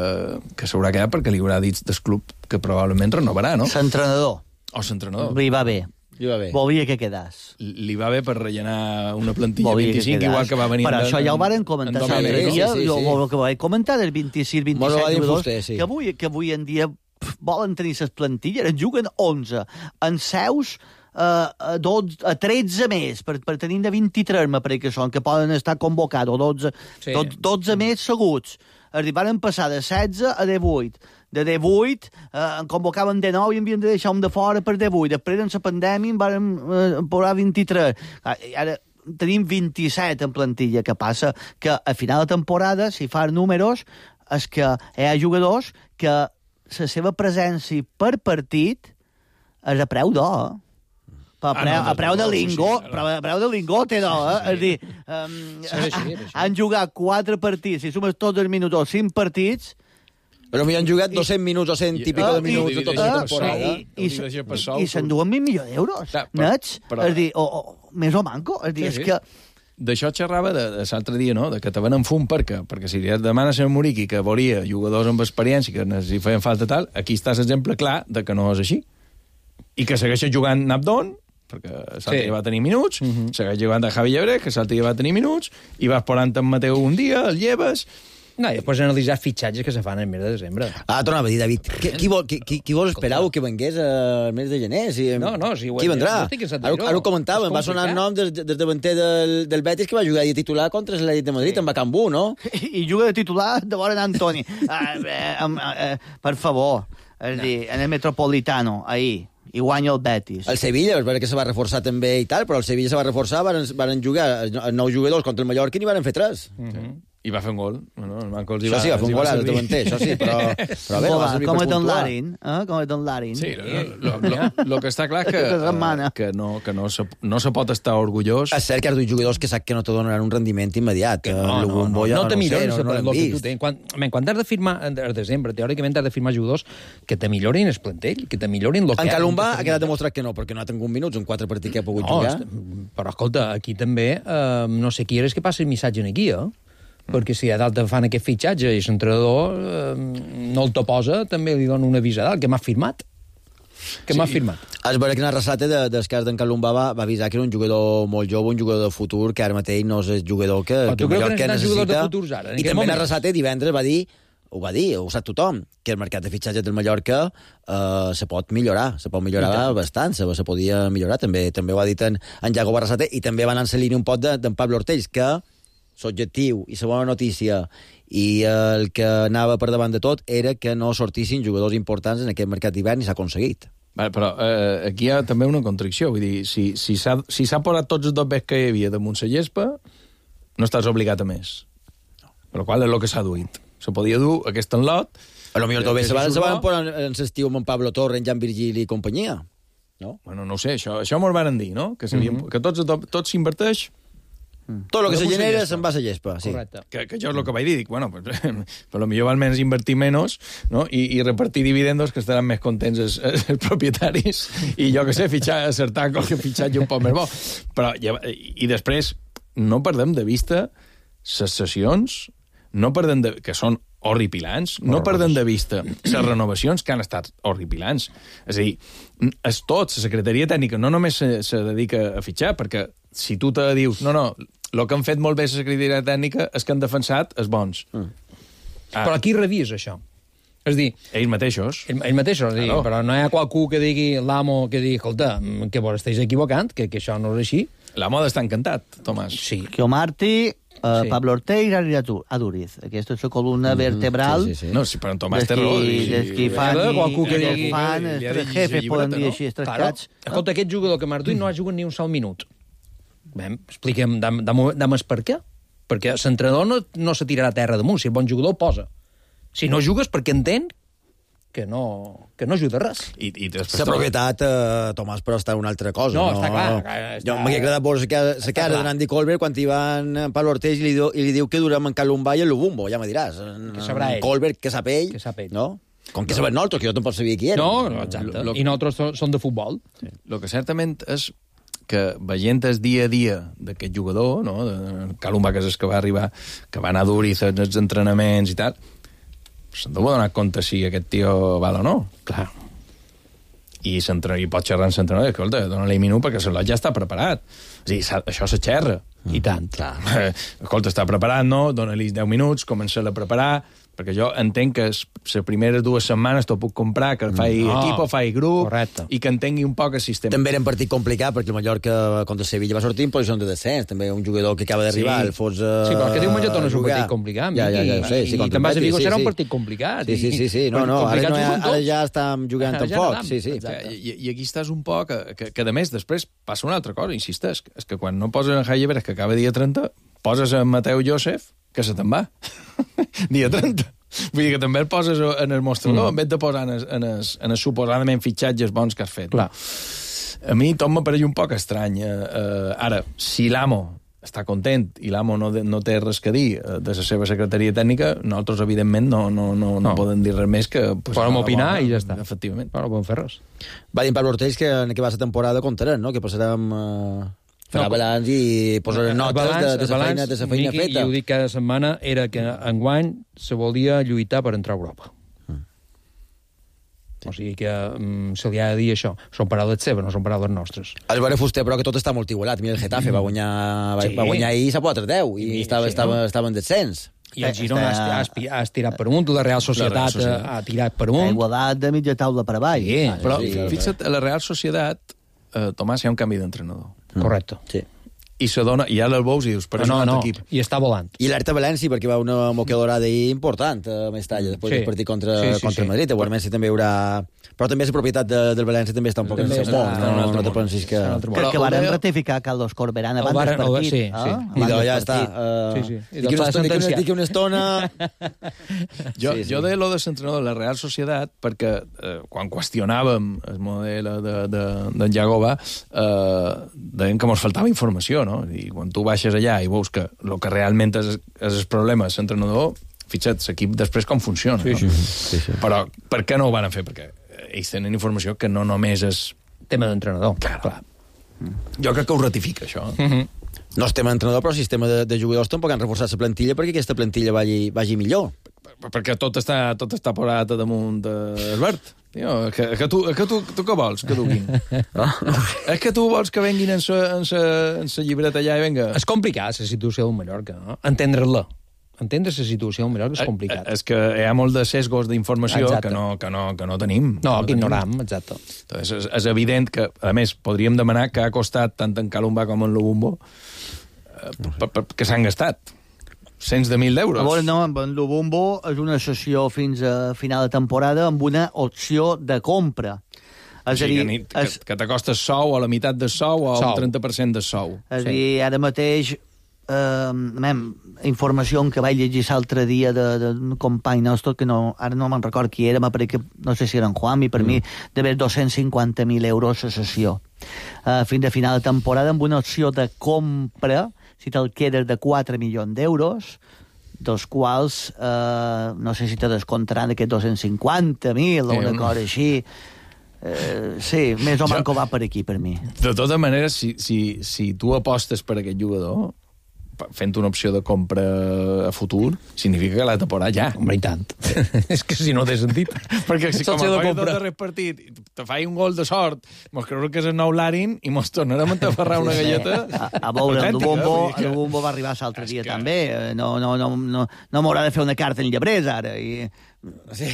que s'haurà quedat perquè li haurà dit del club que probablement renovarà, no? L'entrenador. O l'entrenador. Li va bé. Li va bé. Volia que quedàs. Li va bé per rellenar una plantilla Volia vint-i-cinc, igual que va venir... Per això ja ho varen comentar l'altre dia, sí, sí, sí. el que vaig comentar del vint-i-sis vint-i-set jugadors, sí. que, avui, que avui en dia volen tenir les plantilles, en juguen onze, en seus uh, a, dotze, a tretze més, per, per tenir de vint-i-tres, me pareix que són, que poden estar convocats, o dotze, sí. dotze, dotze més seguts. Arribaren passar de setze a divuit. De divuit, eh, en convocaven de nou i havien de deixar un de fora per divuit. Després, en la pandèmia, en van eh, posar vint-i-tres. Ara tenim vint-i-set en plantilla, que passa que a final de temporada, si fan números, és que hi ha jugadors que la seva presència per partit és a preu d'or. A preu, a preu de lingo, a preu de lingo té d'or, eh? És dir, um, han jugat quatre partits, si sumes tots els minuts, cinc partits, però m'hi han jugat dos-cents minuts o cent i pico de minuts de tota la temporada. I, i, i s'enduen mil milions d'euros, nets. És dir, o, o més o manco. És dir, és que... D'això xerrava de, de l'altre dia, no?, de que te venen fum perquè, perquè si li demanes a Muriqui que volia jugadors amb experiència, que si feien falta tal, aquí està l'exemple clar de que no és així. I que segueix jugant Nabdon, perquè l'altre sí. va tenir minuts, uh -huh. segueix jugant de Javi Llebre, que l'altre va tenir minuts, i vas posant en Mateu un dia, el lleves... No, i després analitzar fitxatges que se fan el mes de desembre. Ah, tornava a dir, David, qui, qui, vol, qui, qui vos esperau que vengués al mes de gener? Si, no, no, si... Qui vendrà? Ara, ara ho comentàvem, va sonar el nom del, del davanter del, del Betis que va jugar de titular contra l'Atlètic de Madrid, sí. en Bacambú, no? I, I juga de titular de vora d'Antoni. uh, eh, eh, per favor, és no. dir, en el Metropolitano, ahir, i guanya el Betis. El Sevilla, és veritat que se va reforçar també i tal, però el Sevilla se va reforçar, van, van jugar els nou jugadors contra el Mallorca i n'hi van fer tres. Mm -hmm. I va fer un gol. Bueno, el Manco els hi Això va, sí, va fer un gol, ara t'ho entenc, això sí, però, però bé, no va servir per Com és Don puntuar. Larin, eh? Com és Don Larin. Sí, el que està clar que, que, no, que no, se, no se pot estar orgullós. És cert que ara tu jugadors que sap que no te donaran un rendiment immediat. No, no, no, no, no te milloren no, no, el que tu tens. Quan, quan has de firmar, al desembre, teòricament has de firmar jugadors que te millorin el plantell, que te millorin el que... En Calumbà ha quedat demostrat que no, perquè no ha tingut minuts en quatre partits que ha pogut no, jugar. Però escolta, aquí també eh, no sé qui eres que passi el missatge aquí, eh? Perquè si a dalt fan aquest fitxatge i l'entrenador eh, no el te posa, també li dona un avís a dalt, que m'ha firmat. Que sí. m'ha firmat. Es veure que en el Arrasate de, del cas d'en Calumbà va, va avisar que era un jugador molt jove, un jugador de futur, que ara mateix no és el jugador que, Però que tu creus millor que que necessita jugadors de necessita. futurs ara? I també en Arrasate divendres va dir, ho va dir, ho sap tothom, que el mercat de fitxatges del Mallorca eh, se pot millorar, se pot millorar bastant, se, se podia millorar, també també ho ha dit en, en Jacob Arrasate, i també van en la línia un pot d'en de, Pablo Ortells, que l'objectiu i la bona notícia i el que anava per davant de tot era que no sortissin jugadors importants en aquest mercat d'hivern i s'ha aconseguit. Vale, però eh, aquí hi ha també una contradicció. Vull dir, si, si s'ha si posat tots els dobbers que hi havia damunt la gespa, no estàs obligat a més. Però qual és el que s'ha duit? Se podia dur aquest enlot... A lo millor també se van, se van posar en l'estiu amb en Pablo Torre, en Jan Virgili i companyia. No? Bueno, no ho sé, això, això m'ho van dir, no? Que, mm -hmm. que tots, tot s'inverteix... Mm. Tot el que se genera se'n va a la gespa, sí. Correcte. Que, que jo és el que vaig dir, dic, bueno, pues, per lo millor val menys invertir menys, no? I, i repartir dividendos que estaran més contents els, els propietaris i jo que sé, fitxar, acertar qualque fitxatge un poc més bo. Però, i, i després, no perdem de vista les sessions, no perdem de, que són horripilants, no perdem de vista les renovacions que han estat horripilants. És a dir, és tot, la secretaria tècnica no només se, se dedica a fitxar, perquè si tu te dius, no, no, el que han fet molt bé la secretaria tècnica és que han defensat els bons. Mm. Ah. Però qui revisa això? És dir... Ells mateixos. Ells mateixos, és dir, Claro. però no hi ha qualcú que digui, l'amo que digui, escolta, que vos estàs equivocant, que, que això no és així. L'amo ha d'estar encantat, Tomàs. Sí. Que Martí, uh, Sí. Pablo Ortell i Ari Aduriz. Aquesta és la columna vertebral. sí, sí, sí. No, sí, però en Tomàs té Dels raó. qui- I- dels qui i- fan Veure, i- qualcú que i digui- fan, li ha els de tres llegir jefes, el poden llibreta, dir no? així, els tres Claro. cats. Escolta, aquest jugador que m'has dit no ha jugat ni un sol minut. Bé, expliquem, dam, dam, dam per què. Perquè l'entrenador no, no se tirarà a terra damunt. Si és bon jugador, el posa. Si no jugues, perquè entén que no, que no ajuda res. I, i després La propietat, eh, Tomàs, però està una altra cosa. No, està clar, clar, està- Jo m'ha agradat veure la cara, la cara clar. de Nandi Colbert quan hi van en Pablo Ortell i li, diu, i li diu que durem en Calumbà i en Lubumbo, ja me diràs. Que sabrà ell. Colbert, que sap ell, Que sap ell. no? Com que sabem nosaltres, que jo tampoc sabia qui era. No, no, exacte. Lo- lo- I nosaltres so- som de futbol. Sí. El que certament és que veient el dia a dia d'aquest jugador, no? de Calumbà, que és el que va arribar, que va anar dur i fer els entrenaments i tal, se'n deu donar compte si aquest tio val o no. Clar. I, i pot xerrar amb l'entrenador, escolta, dona-li minut perquè l'Olot ja està preparat. És a dir, això se xerra. I tant, clar. Escolta, està preparat, no? Dóna-li deu minuts, comença-la a preparar, perquè jo entenc que les primeres dues setmanes t'ho puc comprar, que faci No. equip o faci grup, Correcte. i que entengui un poc el sistema. També era un partit complicat, perquè el Mallorca contra Sevilla va sortir en posició de descens. També un jugador que acaba d'arribar, Sí. el fos... Uh, Sí, però que diu Mallorca no és un partit complicat. Ja, ja, ja, ho sé. I, Sí, i contra te'n vas a el dir que Betis, serà sí, un sí. partit complicat. Sí, sí, sí, sí. No, no, ara, no, ara, ara ja estem jugant Ara ja tampoc. nedam. Sí, sí. Exacte. I, I aquí estàs un poc... Que, que, que a més, després passa una altra cosa, insisteix, és que quan no poses en Jaime Pérez, que acaba dia trenta, poses en Mateu Josef, que se te'n va. dia trenta. Vull dir que també el poses en el mostrador, mm. en vez de posar en els en es, en es suposadament fitxatges bons que has fet. Clar. A mi tot m'apareix un poc estrany. Eh, eh, ara, si l'amo està content i l'amo no, de, no té res que dir eh, de la seva secretaria tècnica, nosaltres, evidentment, no, no, no, no, no. podem dir res més que... Pues, Podem no, opinar no, i ja està. Efectivament. Però no podem fer res. Va dir en Pablo Ortells que en què va la temporada comptarem, no? Que passarem... Uh... Farà No, balanç i posarem notes El balanç- de, de, el la balanç, feina, de la feina Miqui, feta. I ho dic cada setmana, era que enguany se volia lluitar per entrar a Europa. Mm. Sí. O sigui que mm, se li ha de dir això. Són paraules seves, no són paraules nostres. El veure Fuster, però que tot està molt igualat. Mira, el Getafe va guanyar, va, Sí. va guanyar ahir a quatre deu i, I- estava, sí, estava, no? estava en descens. I el Girona Està- ha, espi- ha estirat per amunt, la Real Societat, La Real Societat. ha tirat per Ha amunt. igualat de mitja taula per avall. Sí, Però sí, fixa't, a la Real Societat, eh, Tomàs, hi ha un canvi d'entrenador. Correcte. Sí. i s'adona, i ara el veus i dius, però no, és un no, altre equip. i està volant. I l'Alerta València, perquè va una moquedorada ahir important a Mestalla, després Sí. del partit contra, Sí, sí, contra sí. Madrid. A València també hi haurà... Però també la propietat de, del València també està un poc en També el està món, en no, un no, altre no te món. pensis que... En un altre món. Que, que El varen de- ratificar Carlos Corberán El abans del varen- el- partit. sí, eh? sí. Abans I del ja està. partit. Uh, Sí, sí. I Dic doncs una, s'ha dic una, sentenciat. dic una estona... Jo, Sí, sí. jo de lo de l'entrenador de la Real Societat, perquè eh, quan qüestionàvem el model de, de, d'en Jagoba, eh, deien que ens faltava informació, no? I quan tu baixes allà i veus que el que realment és, és el problema és l'entrenador, fixa't, l'equip després com funciona. Sí, no? sí, sí, sí. Però per què no ho van fer? Perquè ells tenen informació que no només és... Tema d'entrenador. Clar, clar. Jo crec que ho ratifica, això. Mm -hmm. No és tema d'entrenador, però el sistema de, de jugadors tampoc han reforçat la plantilla perquè aquesta plantilla vagi, vagi millor. Perquè tot està, tot està posat a damunt d'Albert. Tio, que, que, tu, que tu, tu què vols que duguin? No? És que tu vols que venguin en sa, en sa, en sa llibreta allà i venga... És complicat, la situació del Mallorca, no? Entendre-la. Entendre la situació del Mallorca és complicat. Eh, és que hi ha molt de sesgos d'informació Exacte. que no, que, no, que no tenim. No, que tenim. ignoram, exacte. Entonces, és, és evident que, a més, podríem demanar que ha costat tant en Calumba com en Lubumbo eh, per, per, que s'han gastat. Cents de mil d'euros. A veure, no, amb en Lubumbo és una sessió fins a final de temporada amb una opció de compra. És O a sigui, dir, que, ni- que, és, que t'acostes sou a la meitat de sou o Sou. un trenta per cent de sou. és a dir, ara mateix eh, mem, informació que vaig llegir l'altre dia d'un company nostre, que no, ara no me'n record qui era, que no sé si era en Juan, i per mm. mi d'haver dos-cents cinquanta mil euros a sessió. Uh, fins a final de temporada amb una opció de compra, si te'l quedes, de quatre milions d'euros, dels quals eh, no sé si te descomptaran aquests dos-cents cinquanta mil o Sí, una un- cosa així. Eh, sí, més o Jo- manco va per aquí, per mi. De totes maneres, si, si, si tu apostes per aquest jugador, pa- fent una opció de compra a futur, significa que l'ha de posar ja. Home, i tant. És que si no té sentit. Perquè si com L'opció a de coi compra. del darrer partit te fai un gol de sort, mos creurà que és el nou Larin i mos tornarem a tafarrar una galleta. A, a veure, el autèntica, Lubombo, vull dir que- el Lubombo va arribar l'altre dia, que... també. Eh, No, no, no, no, no m'haurà de fer una carta en llebrers, ara. I... Sí.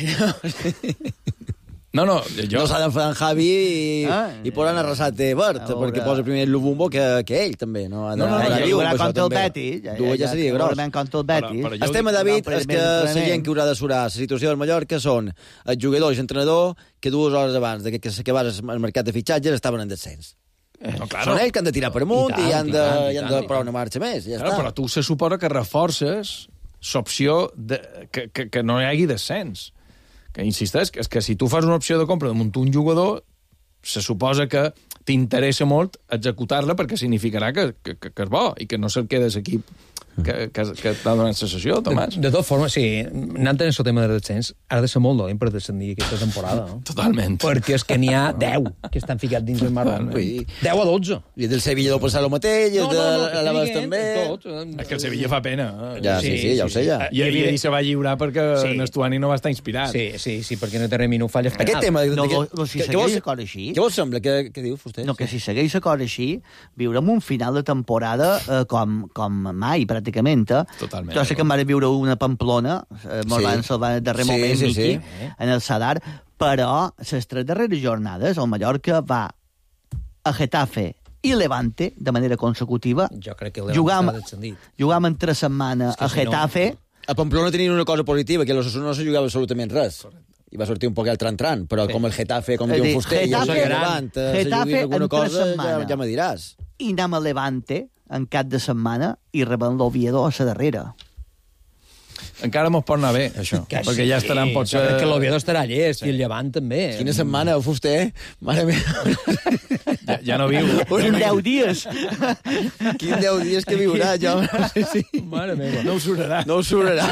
No, no, jo... No s'ha d'enfadar en Javi i, Ah, i poden arrasar de Bert, a veure. perquè posa primer el Lubumbo que, que ell, també. No, ha de- No, no, ha no, de ja dir-ho, jugarà per això contra el també. Betis. Ja, Dur ja seria gros. Segurament contra el Betis. Però- però jo El tema, David, No, és que la gent que haurà de surar la situació del Mallorca són el jugador i l'entrenador que dues hores abans de que s'acabés el mercat de fitxatges estaven en descens. No, claro. Són ells que han de tirar per amunt i, I tant, han i de, tant, i i han tant, de i parar tant. una marxa més. Ja Claro, està. però tu se suposa que reforces l'opció de, que, que, que no hi hagi descens. Que insisteix, que, és que si tu fas una opció de compra damunt un jugador, se suposa que t'interessa molt executar-la perquè significarà que, que, que, que és bo i que no se'l quedes equip que, que, que t'ha donat la sessió, Tomàs. De, de totes formes, sí, anant en el tema de descens, ha de ser molt dolent per descendir aquesta temporada, no? Totalment. Perquè és que n'hi ha deu que estan ficats dins el marrón. Ui. deu a dotze. I del Sevilla deu passar el mateix, i el de l'Alaves també. Tots. És que el Sevilla fa pena. Eh? Ja, sí, sí, ja ho sé, ja. I, i ell se va lliurar perquè Sí. sí. Nestuani no va estar inspirat. Sí, sí, sí, perquè no té res no falla. Aquest tema... No, que, no, si que, que, segueix vols, l'acord així... què vos sembla? Què, què diu, Fuster? No, que si segueix l'acord així, viurem un final de temporada eh, com, com mai, pràcticament. Eh? Totalment. Jo sé que em va viure una Pamplona, eh, molt Sí. abans del darrer Sí, moment, sí, Miqui, sí. en el Sadar, però les tres darreres jornades el Mallorca va a Getafe i Levante de manera consecutiva. Jo crec que el Jugam, Levante està descendit. jugam en tres setmanes que a si no- Getafe. A Pamplona tenien una cosa positiva, que l'Osasuna no se jugava absolutament res. I va sortir un poc el tran-tran, però Sí. com el Getafe, com És diu dir, Fuster, i el Getafe- Levant, eh, se Getafe juguin alguna en tres cosa, ja, setmanes. ja me diràs. I anem a Levante en cap de setmana i rebem l'Oviedo a la darrera. Encara mos pot anar bé, això. Que perquè ja estaran sí, potser... jo crec que l'Oviedo estarà llest, sí. I el Llevant també. Quina setmana, Fuster? Mare meva. Ja, ja no viu. En deu dies. Quin deu dies que viurà, jo. Sí, sí. Mare meva. No ho surarà. No ho surarà.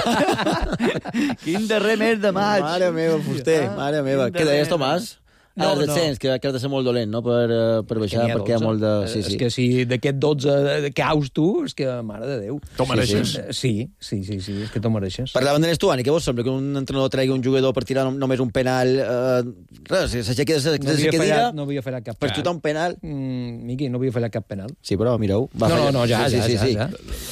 Quin darrer mes de maig. Mare meva, Fuster, mare meva. Què deies, Tomàs? No, No, el descens, no. que, que has de ser molt dolent, no?, per, eh, per baixar, perquè hi ha molt de... Sí, És sí. que si d'aquest dotze caus tu, és que, mare de Déu. T'ho mereixes. Sí, sí, sí, sí, és que t'ho mereixes. Parlaven de Nestuani, què vos sembla? Que un entrenador tregui un jugador per tirar només un penal... Eh, res, s'aixequi de la No havia cadira, fallat, no havia fallat cap per penal. xutar un penal... Mm, Miqui, no havia fallat cap penal. Sí, però mireu... Va No, fallar. no, no, ja, sí, ja, sí, ja, sí. ja.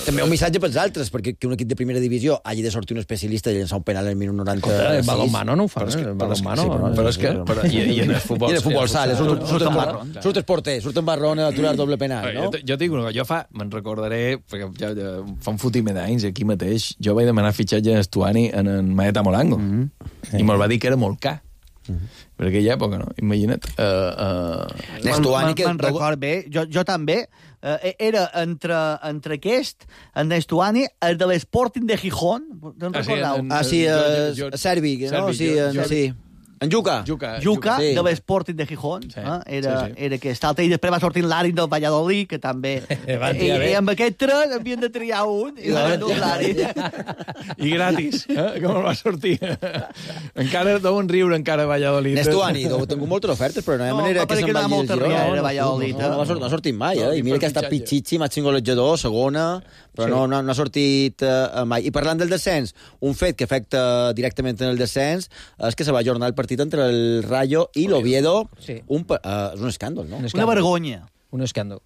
També un missatge pels altres, perquè que un equip de primera divisió hagi de sortir un especialista i llançar un penal al minut noranta. El balonmano no ho fa, Però és que, el però és que, balonmano. sí, però, però és que però, i, i, en, el futbol, I en el futbol sala, surt, surt, Surt en en marrón. marrón. Surt el porter, surt en marrón a aturar doble penal, no? Jo, jo dic una cosa, jo fa, me'n recordaré, perquè ja, ja, fa un fotimer d'anys, aquí mateix, jo vaig demanar fitxatge a Estuani en en Maeta Molango, mm -hmm. i me'l va dir que era molt car. Mm -hmm. Per aquella època, no? Imagina't. Uh, uh... Me'n que... record bé, jo, jo també, uh, era entre, entre aquest, en Nestuani, el de l'Sporting de Gijón, te'n Ah, sí, recordeu? en- Ah, sí, eh, jo- jo- Servi, no? Servi, Sí, jo- en- jo- sí. En Juca. Juca, Juca, sí. de l'Sporting de Gijón, sí, eh? era, sí, sí. era aquest altre, i després va sortir l'Ari del Valladolid, que també... Van I, triar bé. I amb aquest tres havien de triar un, i van endur l'Ari. I gratis, eh? Com el va sortir. Encara deuen riure, encara a Valladolid. Nestuani, deu tingut moltes ofertes, però no hi ha No, manera va que se'n quedar vagi molta al Girona. riera, No, no, Valladolid, no, no, no, ha sortit, no ha sortit mai, No, eh? ni I mira per que ha estat fitxatge. pitxitxi, màxim golejador, segona, però Sí. no, no, no ha sortit eh, mai. I parlant del descens, un fet que afecta directament en el descens és que se va ajornar el partit entre el Rayo i l'Oviedo. Sí. Un, pa- eh, és un escàndol, no? Una vergonya. Un escàndol.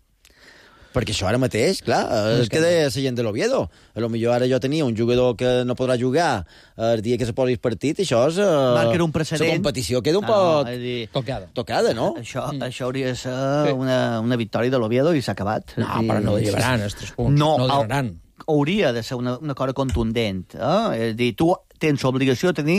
Perquè això ara mateix, clar, és que deia la gent de l'Oviedo. A lo millor ara jo tenia un jugador que no podrà jugar el dia que se posi el partit, i això és... Uh, Marca un precedent. La competició queda un Ah, poc... no, és dir, Tocada. Tocada, no? Això, mm. això hauria de ser una, una victòria de l'Oviedo i s'ha acabat. No, però no llevaran els tres punts. No, No el- donaran. hauria de ser una, una cosa contundent. Eh? És a dir, tu tens obligació de tenir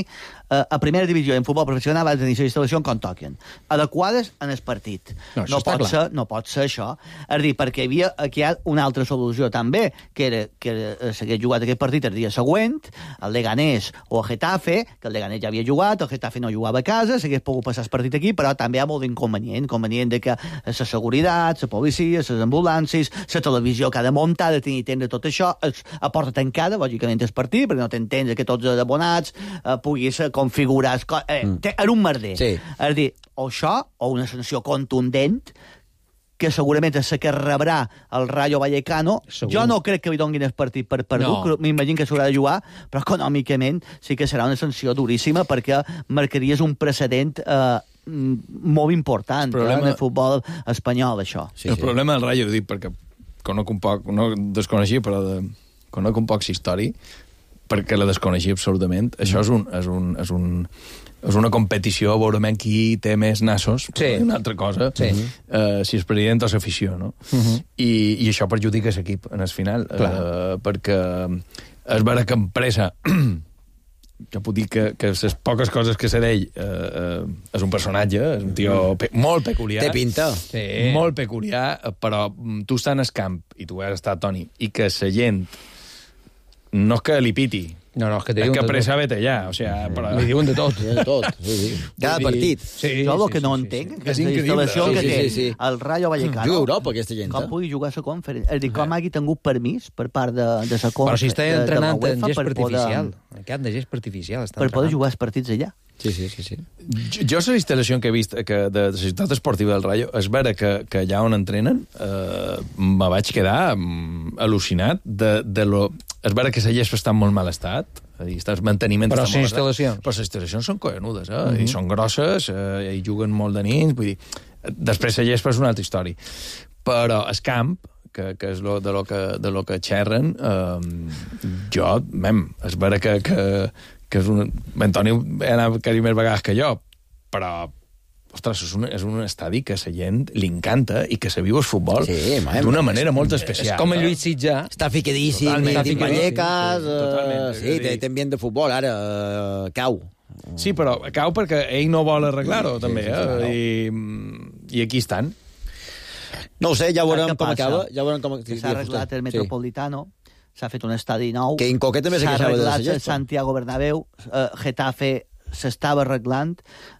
eh, a primera divisió en futbol professional vas tenir les instal·lacions com toquen, adequades en el partit. No, això No, està pot clar. ser, no pot ser això. És a dir, perquè hi havia aquí hi ha una altra solució també, que era que era, s'hagués jugat aquest partit el dia següent, el Leganés o el Getafe, que el Leganés ja havia jugat, el Getafe no jugava a casa, s'hagués pogut passar el partit aquí, però també hi ha molt d'inconvenient, inconvenient de que la seguretat, la policia, les ambulàncies, la televisió que ha de muntar, ha de tenir temps de tot això, es, a porta tancada, lògicament, el partit, perquè no t'entens que tots els abonats eh, puguis eh, configurar... es co- Eh, mm. Era un merder. Sí. És a dir, o això, o una sanció contundent, que segurament és la que rebrà el Rayo Vallecano. Segur. Jo no crec que li donguin el partit per perdut, No. no. M'imagino que s'haurà de jugar, però econòmicament sí que serà una sanció duríssima perquè marcaries un precedent eh, mm, molt important El problema- eh, en el futbol espanyol, això. Sí, el sí. problema del Rayo, ho dic perquè conec un poc, no desconeixia, però de, conec un poc història, perquè la desconeixia absolutament. Mm. Això és un, és un, és un, és una competició, veurem qui té més nassos, Sí. una altra cosa, Sí. eh, si és president o l'afició, no? Uh -huh. I, I això perjudica l'equip en el final, eh, perquè és vera que empresa que puc dir que, que les poques coses que sé d'ell eh, eh, és un personatge, és un tio pe molt peculiar. Té pinta. Sí. Molt peculiar, però mm, tu estàs en el camp, i tu has estat, Toni, i que la gent no és que li piti, No, no, és que te és diuen que de pressa tot. vete allà, o sea, però... Li diuen de tot. Sí, de tot. Sí, sí. Cada Vull dir- partit. Sí, jo el sí, que sí, no sí, entenc sí. que És és la increïble. instal·lació Sí, que sí, té sí, sí. el Rayo Vallecano. Juga a Europa, aquesta gent. Com pugui jugar a la conferència? És a dir, com hagi tingut permís per part de, de la Però si està entrenant en UEFA gest per artificial. poder, En camp de gest artificial. Està per poder entrenant. jugar els partits allà. Sí, sí, sí. sí. Jo, jo la instal·lació que he vist que de la ciutat esportiva del Rayo, és vera que, que allà on entrenen eh, me vaig quedar mm, al·lucinat de, de lo... És vera que la gespa està en molt mal estat, és a dir, està, el manteniment Però està les molt estat, instal·lacions. però les instal·lacions són cojonudes, eh? Mhm. Uh -huh. I són grosses, eh, i juguen molt de nins, vull dir... Després la gespa és una altra història. Però el camp, que, que és lo, de, lo que, de lo que xerren, eh, jo, mem, és vera que, que, que és un... Antoni ha anat quasi més vegades que jo, però ostres, és un, és un estadi que a la gent li encanta i que se viu el futbol Sí, mem, d'una manera molt especial. És com el Lluís Sitjà. Està fiquedíssim, Totalment. dins Vallecas, Sí, sí, totalment. eh, sí, té, té ambient de futbol, ara eh, cau. Sí, però cau perquè ell no vol arreglar-ho, Sí, també, sí, sí, eh? clar. I, I aquí estan. No ho sé, ja veurem Què com passa? acaba. Ja veurem com... Que s'ha arreglat el Metropolitano, s'ha fet un estadi nou. Que Incoquet també se s'ha queixava de la arreglat el gespa. Santiago Bernabéu, eh, Getafe s'estava arreglant,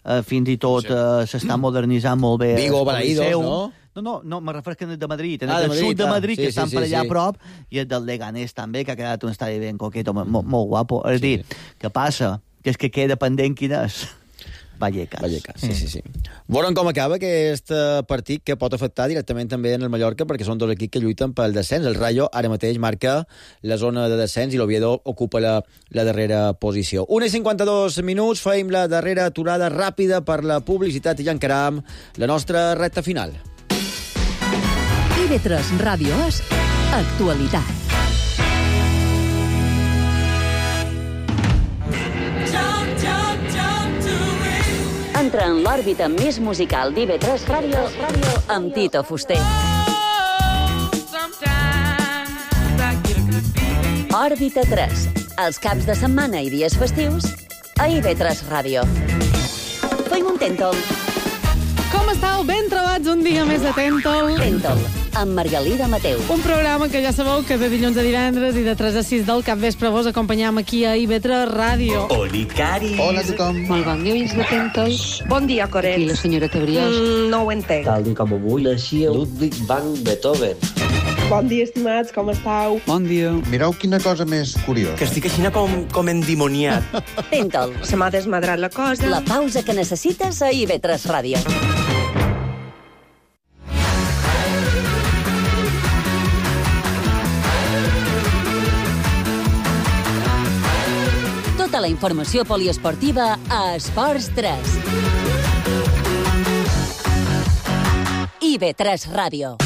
eh, fins i tot eh, s'està modernitzant molt bé. Vigo, el Balaídos, Coliseu. no? No, no, no, me refereixo que és de Madrid, en Ah, de el Madrid, sud de ah, Madrid, sí, que sí, estan sí, per allà sí. a prop, i el del Leganés també, que ha quedat un estadi ben coquet, molt, molt guapo. És a dir, què passa? Que és que queda pendent quin és. Vallecas. Vallecas, sí, sí, sí. Veurem com acaba aquest eh, partit que pot afectar directament també en el Mallorca, perquè són dos equips que lluiten pel descens. El Rayo ara mateix marca la zona de descens i l'Oviedo ocupa la, la darrera posició. una i cinquanta-dos minuts, feim la darrera aturada ràpida per la publicitat i ja encaram la nostra recta final. I V tres Ràdio És Actualitat. Entra en l'òrbita més musical d'I V tres Ràdio amb Tito Fuster. Òrbita tres, els caps de setmana i dies festius a I V tres Ràdio. Fem un Tentol. Com estàu? Ben trobats un dia més de Tentol. Tentol, amb Margalida Mateu. Un programa que ja sabeu que de dilluns a divendres i de tres a sis del capvespre vos acompanyam aquí a I V tres Ràdio. Oli, Cari. Hola a tothom. Molt bon dia, oients de Tentol. Bon dia, Coret. I la senyora Tebriós. Mm, no ho entenc. Tal dia com avui naixia Ludwig van Beethoven. Bon dia, estimats, com estàu? Bon dia. Mireu quina cosa més curiosa. Que estic així com, com endimoniat. Tentol. Se m'ha desmadrat la cosa. La pausa que necessites a I V tres Ràdio. Tota la informació poliesportiva a Esports tres. I V tres Ràdio.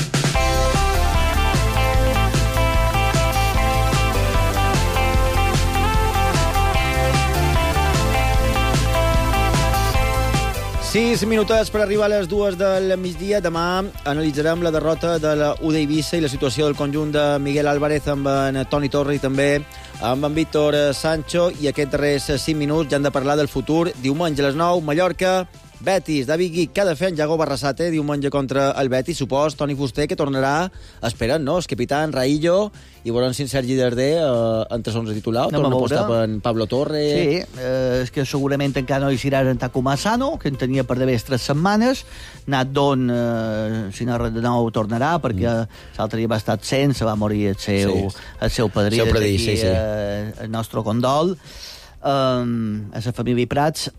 Sis minutets per arribar a les dues del migdia. Demà analitzarem la derrota de la U D Eivissa i la situació del conjunt de Miguel Álvarez amb en Toni Torra i també amb en Víctor Sancho. I aquests darrers cinc minuts ja han de parlar del futur. Diumenge a les nou, Mallorca, Betis, David Guic, que ha de fer en Yago Barrasate diumenge contra el Betis. Supos, Toni Fuster, que tornarà esperant, no? El capità Raillo, i veurem si en Sergi Darder eh, entre onze titular, Anem torna a a veure. apostar per Pablo Torre. Sí, eh, és que segurament encara no hi serà en Takuma Asano, que en tenia per d'haver tres setmanes. Nat Don, eh, si no de nou, tornarà, perquè mm. l'altre dia va estar absent, se va morir el seu, Sí. el seu padrí. Seu padrí, Des d'aquí, sí, sí. Eh, el nostre condol um, a la família Prats,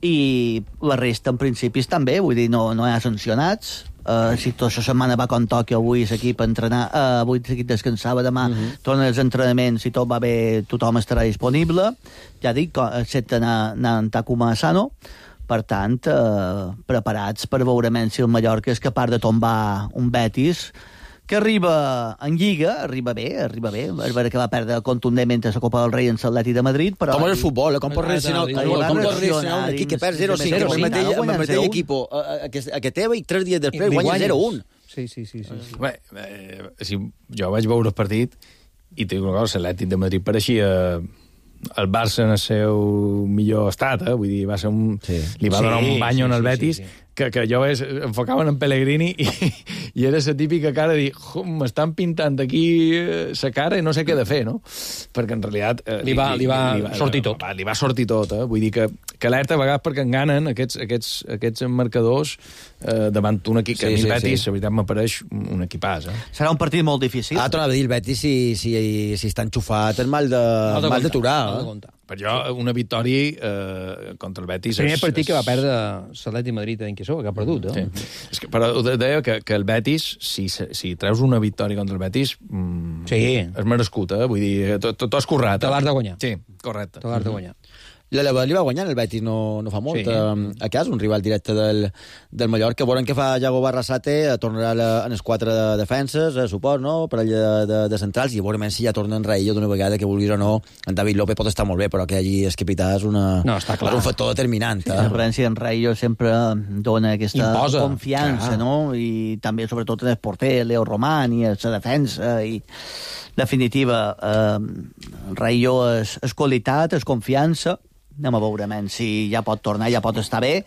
i la resta, en principi, estan bé, vull dir, no, no hi ha sancionats. Uh, si tota la setmana va con Tòquio, avui l'equip entrenar, uh, avui l'equip descansava, demà uh -huh. torna als entrenaments, si tot va bé, tothom estarà disponible. Ja dic, excepte anar, anar en Takuma Asano. Per tant, uh, preparats per veure si el Mallorca és capaç de tombar un Betis que arriba en Lliga, arriba bé, arriba bé. És vera que va perdre contundentment a la Copa del Rei en l'Atlètic de Madrid, però... Com és el futbol, eh? Com pot reaccionar, com, com pot reaccionar un equip que perd zero cinc, que amb el mateix, amb el mateix equip a que teva i tres dies després guanya zero un. Sí, sí, sí. sí, sí. Bé, eh, si jo vaig veure el partit i t'ho dic una cosa, l'Atlètic de Madrid pareixia el Barça en el seu millor estat, eh? Vull dir, va ser un... Sí. Li va donar Sí, un banyo sí, en el sí, Betis, sí, sí. que, que jo es, enfocaven en Pellegrini i, i era la típica cara de dir, m'estan pintant aquí la cara i no sé què de fer, no? Perquè en realitat... Eh, Li va- li va sortir tot. Va, li va sortir tot, eh? Vull dir que, que alerta a vegades perquè enganen aquests, aquests, aquests marcadors eh, davant un equip que Sí, a mi el sí, Betis, sí. la veritat, m'apareix un equipàs, eh? Serà un partit molt difícil. Ah, tornava a dir el Betis si, si, si està enxufat, és mal de, No de mal comptar, d'aturar. no de Eh? comptar. Per jo, una victòria eh, contra el Betis... El primer és- partit que va és- perdre l'Atlètic Madrid en Quissó, que ha perdut, no? Sí. És que, però ho deia que, que el Betis, si, si treus una victòria contra el Betis, mm, Sí. és merescut, eh? Vull dir, tot, tot has currat. Te l'has de guanyar. Sí, correcte. Te l'has de guanyar. L'Eleva li va guanyar el Betis no, no fa molt, Sí. sí. a casa, un rival directe del, del Mallorca. Veurem què fa Yago Barrasate, tornarà la, en els quatre de defenses, eh, suport, no?, per allà de, de, de centrals, i veurem si ja torna en Raillo d'una vegada, que vulguis o no. En David López pot estar molt bé, però que hagi el capità és, una, No, està clar. és un factor determinant. Sí, Eh? la referència en Rayo sempre dona aquesta Imposa. confiança, Ah. no? I també, sobretot, en el porter, Leo Román, i a la defensa, i definitiva, eh, Rayo és, és qualitat, és confiança. Anem a veure, men, si ja pot tornar, ja pot estar bé.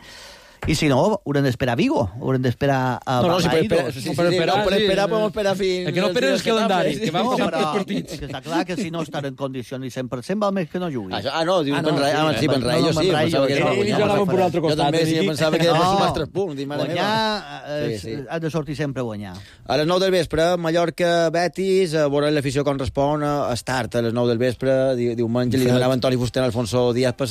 I si no, haurem d'esperar a Vigo, haurem d'esperar a No, no, si per Balaidos. esperar, sí, sí, sí, no, per esperar, podem esperar fins... El que no espera és el calendari, que van No, passant però tres partits. és que està clar que si no estan en condicions i cent per cent val més que no jugui. Ah, ah, no, diu Ah, ah, no, no, sí, ah, sí, no, Ben Rayo, no, sí, Ben Rayo, pensava que era sí, guanyar. jo anava per un altre Jo costat, també, sí, aquí. pensava que era per No, sumar tres punts, dic, mare guanyar, meva. eh, Sí, sí. has de sortir sempre a guanyar. A les nou del vespre, Mallorca, Betis, a veure l'afició com respon, a start a les nou del vespre, di diumenge, li demanava Antoni Fuster a Alfonso Díaz per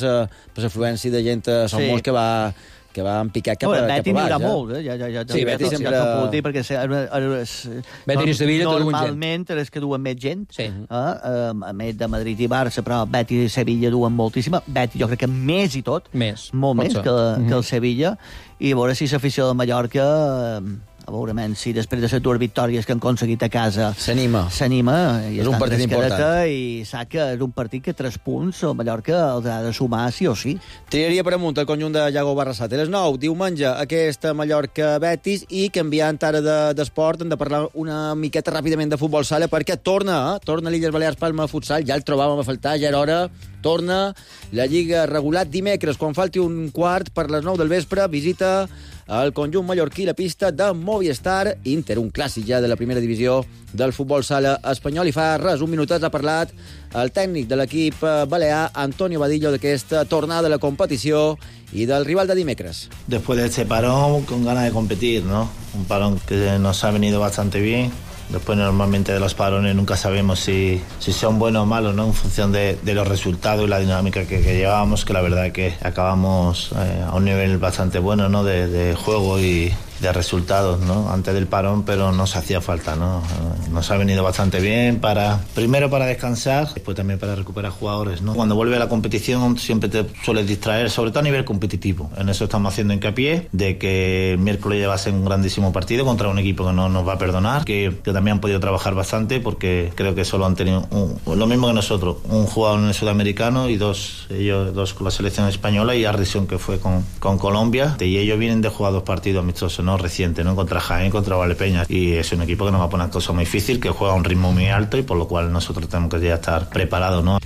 l'afluència de gent a Som Sí. Molts que va que va en picar cap, No, a, cap Betis a n'hi baix. haurà eh? molt, eh? Ja, ja, ja, Sí, ja, Betis ja, sempre- ja t'ho puc dir, perquè és, és, Betis i Sevilla te duen gent. normalment és que duen més gent, Sí. eh? a més de Madrid i Barça, però Betis i Sevilla duen moltíssima. Betis jo crec que més i tot, Més. molt Pot més ser. que, que Mhm. el Sevilla, i a veure si l'afició de Mallorca eh, a veure, men, si després de les dues victòries que han aconseguit a casa s'anima, s'anima i és un partit important i sap que és un partit que tres punts el Mallorca els ha de sumar sí o sí. Triaria per amunt el conjunt de Iago Barrasate. A les nou, diumenge, aquesta Mallorca-Betis, i canviant ara d'esport de, hem de parlar una miqueta ràpidament de futbol sala perquè torna, eh? torna l'Illes Balears Palma Futsal, ja el trobàvem a faltar, ja era hora, torna la Lliga regulat dimecres, quan falti un quart per les nou del vespre, visita el conjunt mallorquí la pista de Movistar Inter, un clàssic ja de la primera divisió del futbol sala espanyol, i fa res, un minutet ha parlat el tècnic de l'equip balear, Antonio Vadillo, d'aquesta tornada a la competició y del rival de dimecres. Después de este parón, con ganas de competir, ¿no? Un parón que nos ha venido bastante bien. Después, normalmente, de los parones nunca sabemos si, si son buenos o malos, ¿no? En función de, de los resultados y la dinámica que, que llevábamos, que la verdad es que acabamos eh, a un nivel bastante bueno, ¿no? De, de juego y de resultados, ¿no? Antes del parón, pero nos hacía falta, ¿no? Nos ha venido bastante bien para, primero para descansar, después también para recuperar jugadores, ¿no? Cuando vuelve a la competición siempre te sueles distraer, sobre todo a nivel competitivo. En eso estamos haciendo hincapié, de que el miércoles ya va a ser un grandísimo partido contra un equipo que no nos va a perdonar, que, que también han podido trabajar bastante, porque creo que solo han tenido un, lo mismo que nosotros, un jugador en el sudamericano y dos, ellos dos con la selección española, y Ardison, que fue con, con Colombia, y ellos vienen de jugar dos partidos amistosos, ¿no? Reciente, ¿no? Contra Jaén, contra Valdepeñas, y es un equipo que nos va a poner cosas muy difícil, que juega a un ritmo muy alto y por lo cual nosotros tenemos que ya estar preparados, ¿no?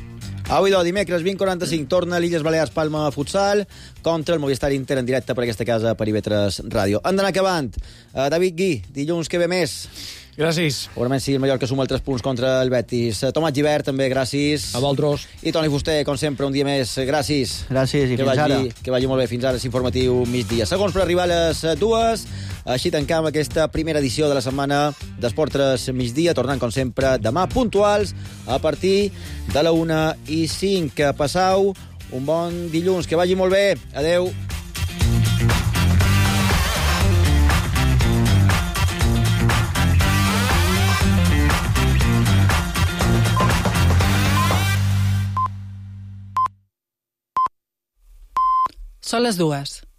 Avui, de dimecres, vint quaranta-cinc, torna l'Illes Balears Palma Futsal contra el Movistar Inter en directe per aquesta casa, per I V tres Ràdio. Han d'anar acabant. Uh, David Gui, dilluns que ve més. Gràcies. Segurament sí, el Mallorca suma els tres punts contra el Betis. Tomàs Gibert, també, gràcies. A vosaltres. I Toni Fuster, com sempre, un dia més. Gràcies. Gràcies, i que fins vagi, ara. Que vagi molt bé. Fins ara, s'informatiu migdia. Segons per arribar a les dues, així tancam aquesta primera edició de la setmana d'Esport tres migdia, tornant, com sempre, demà puntuals a partir de la una i cinc. Passau un bon dilluns. Que vagi molt bé. Adeu. Són les dues.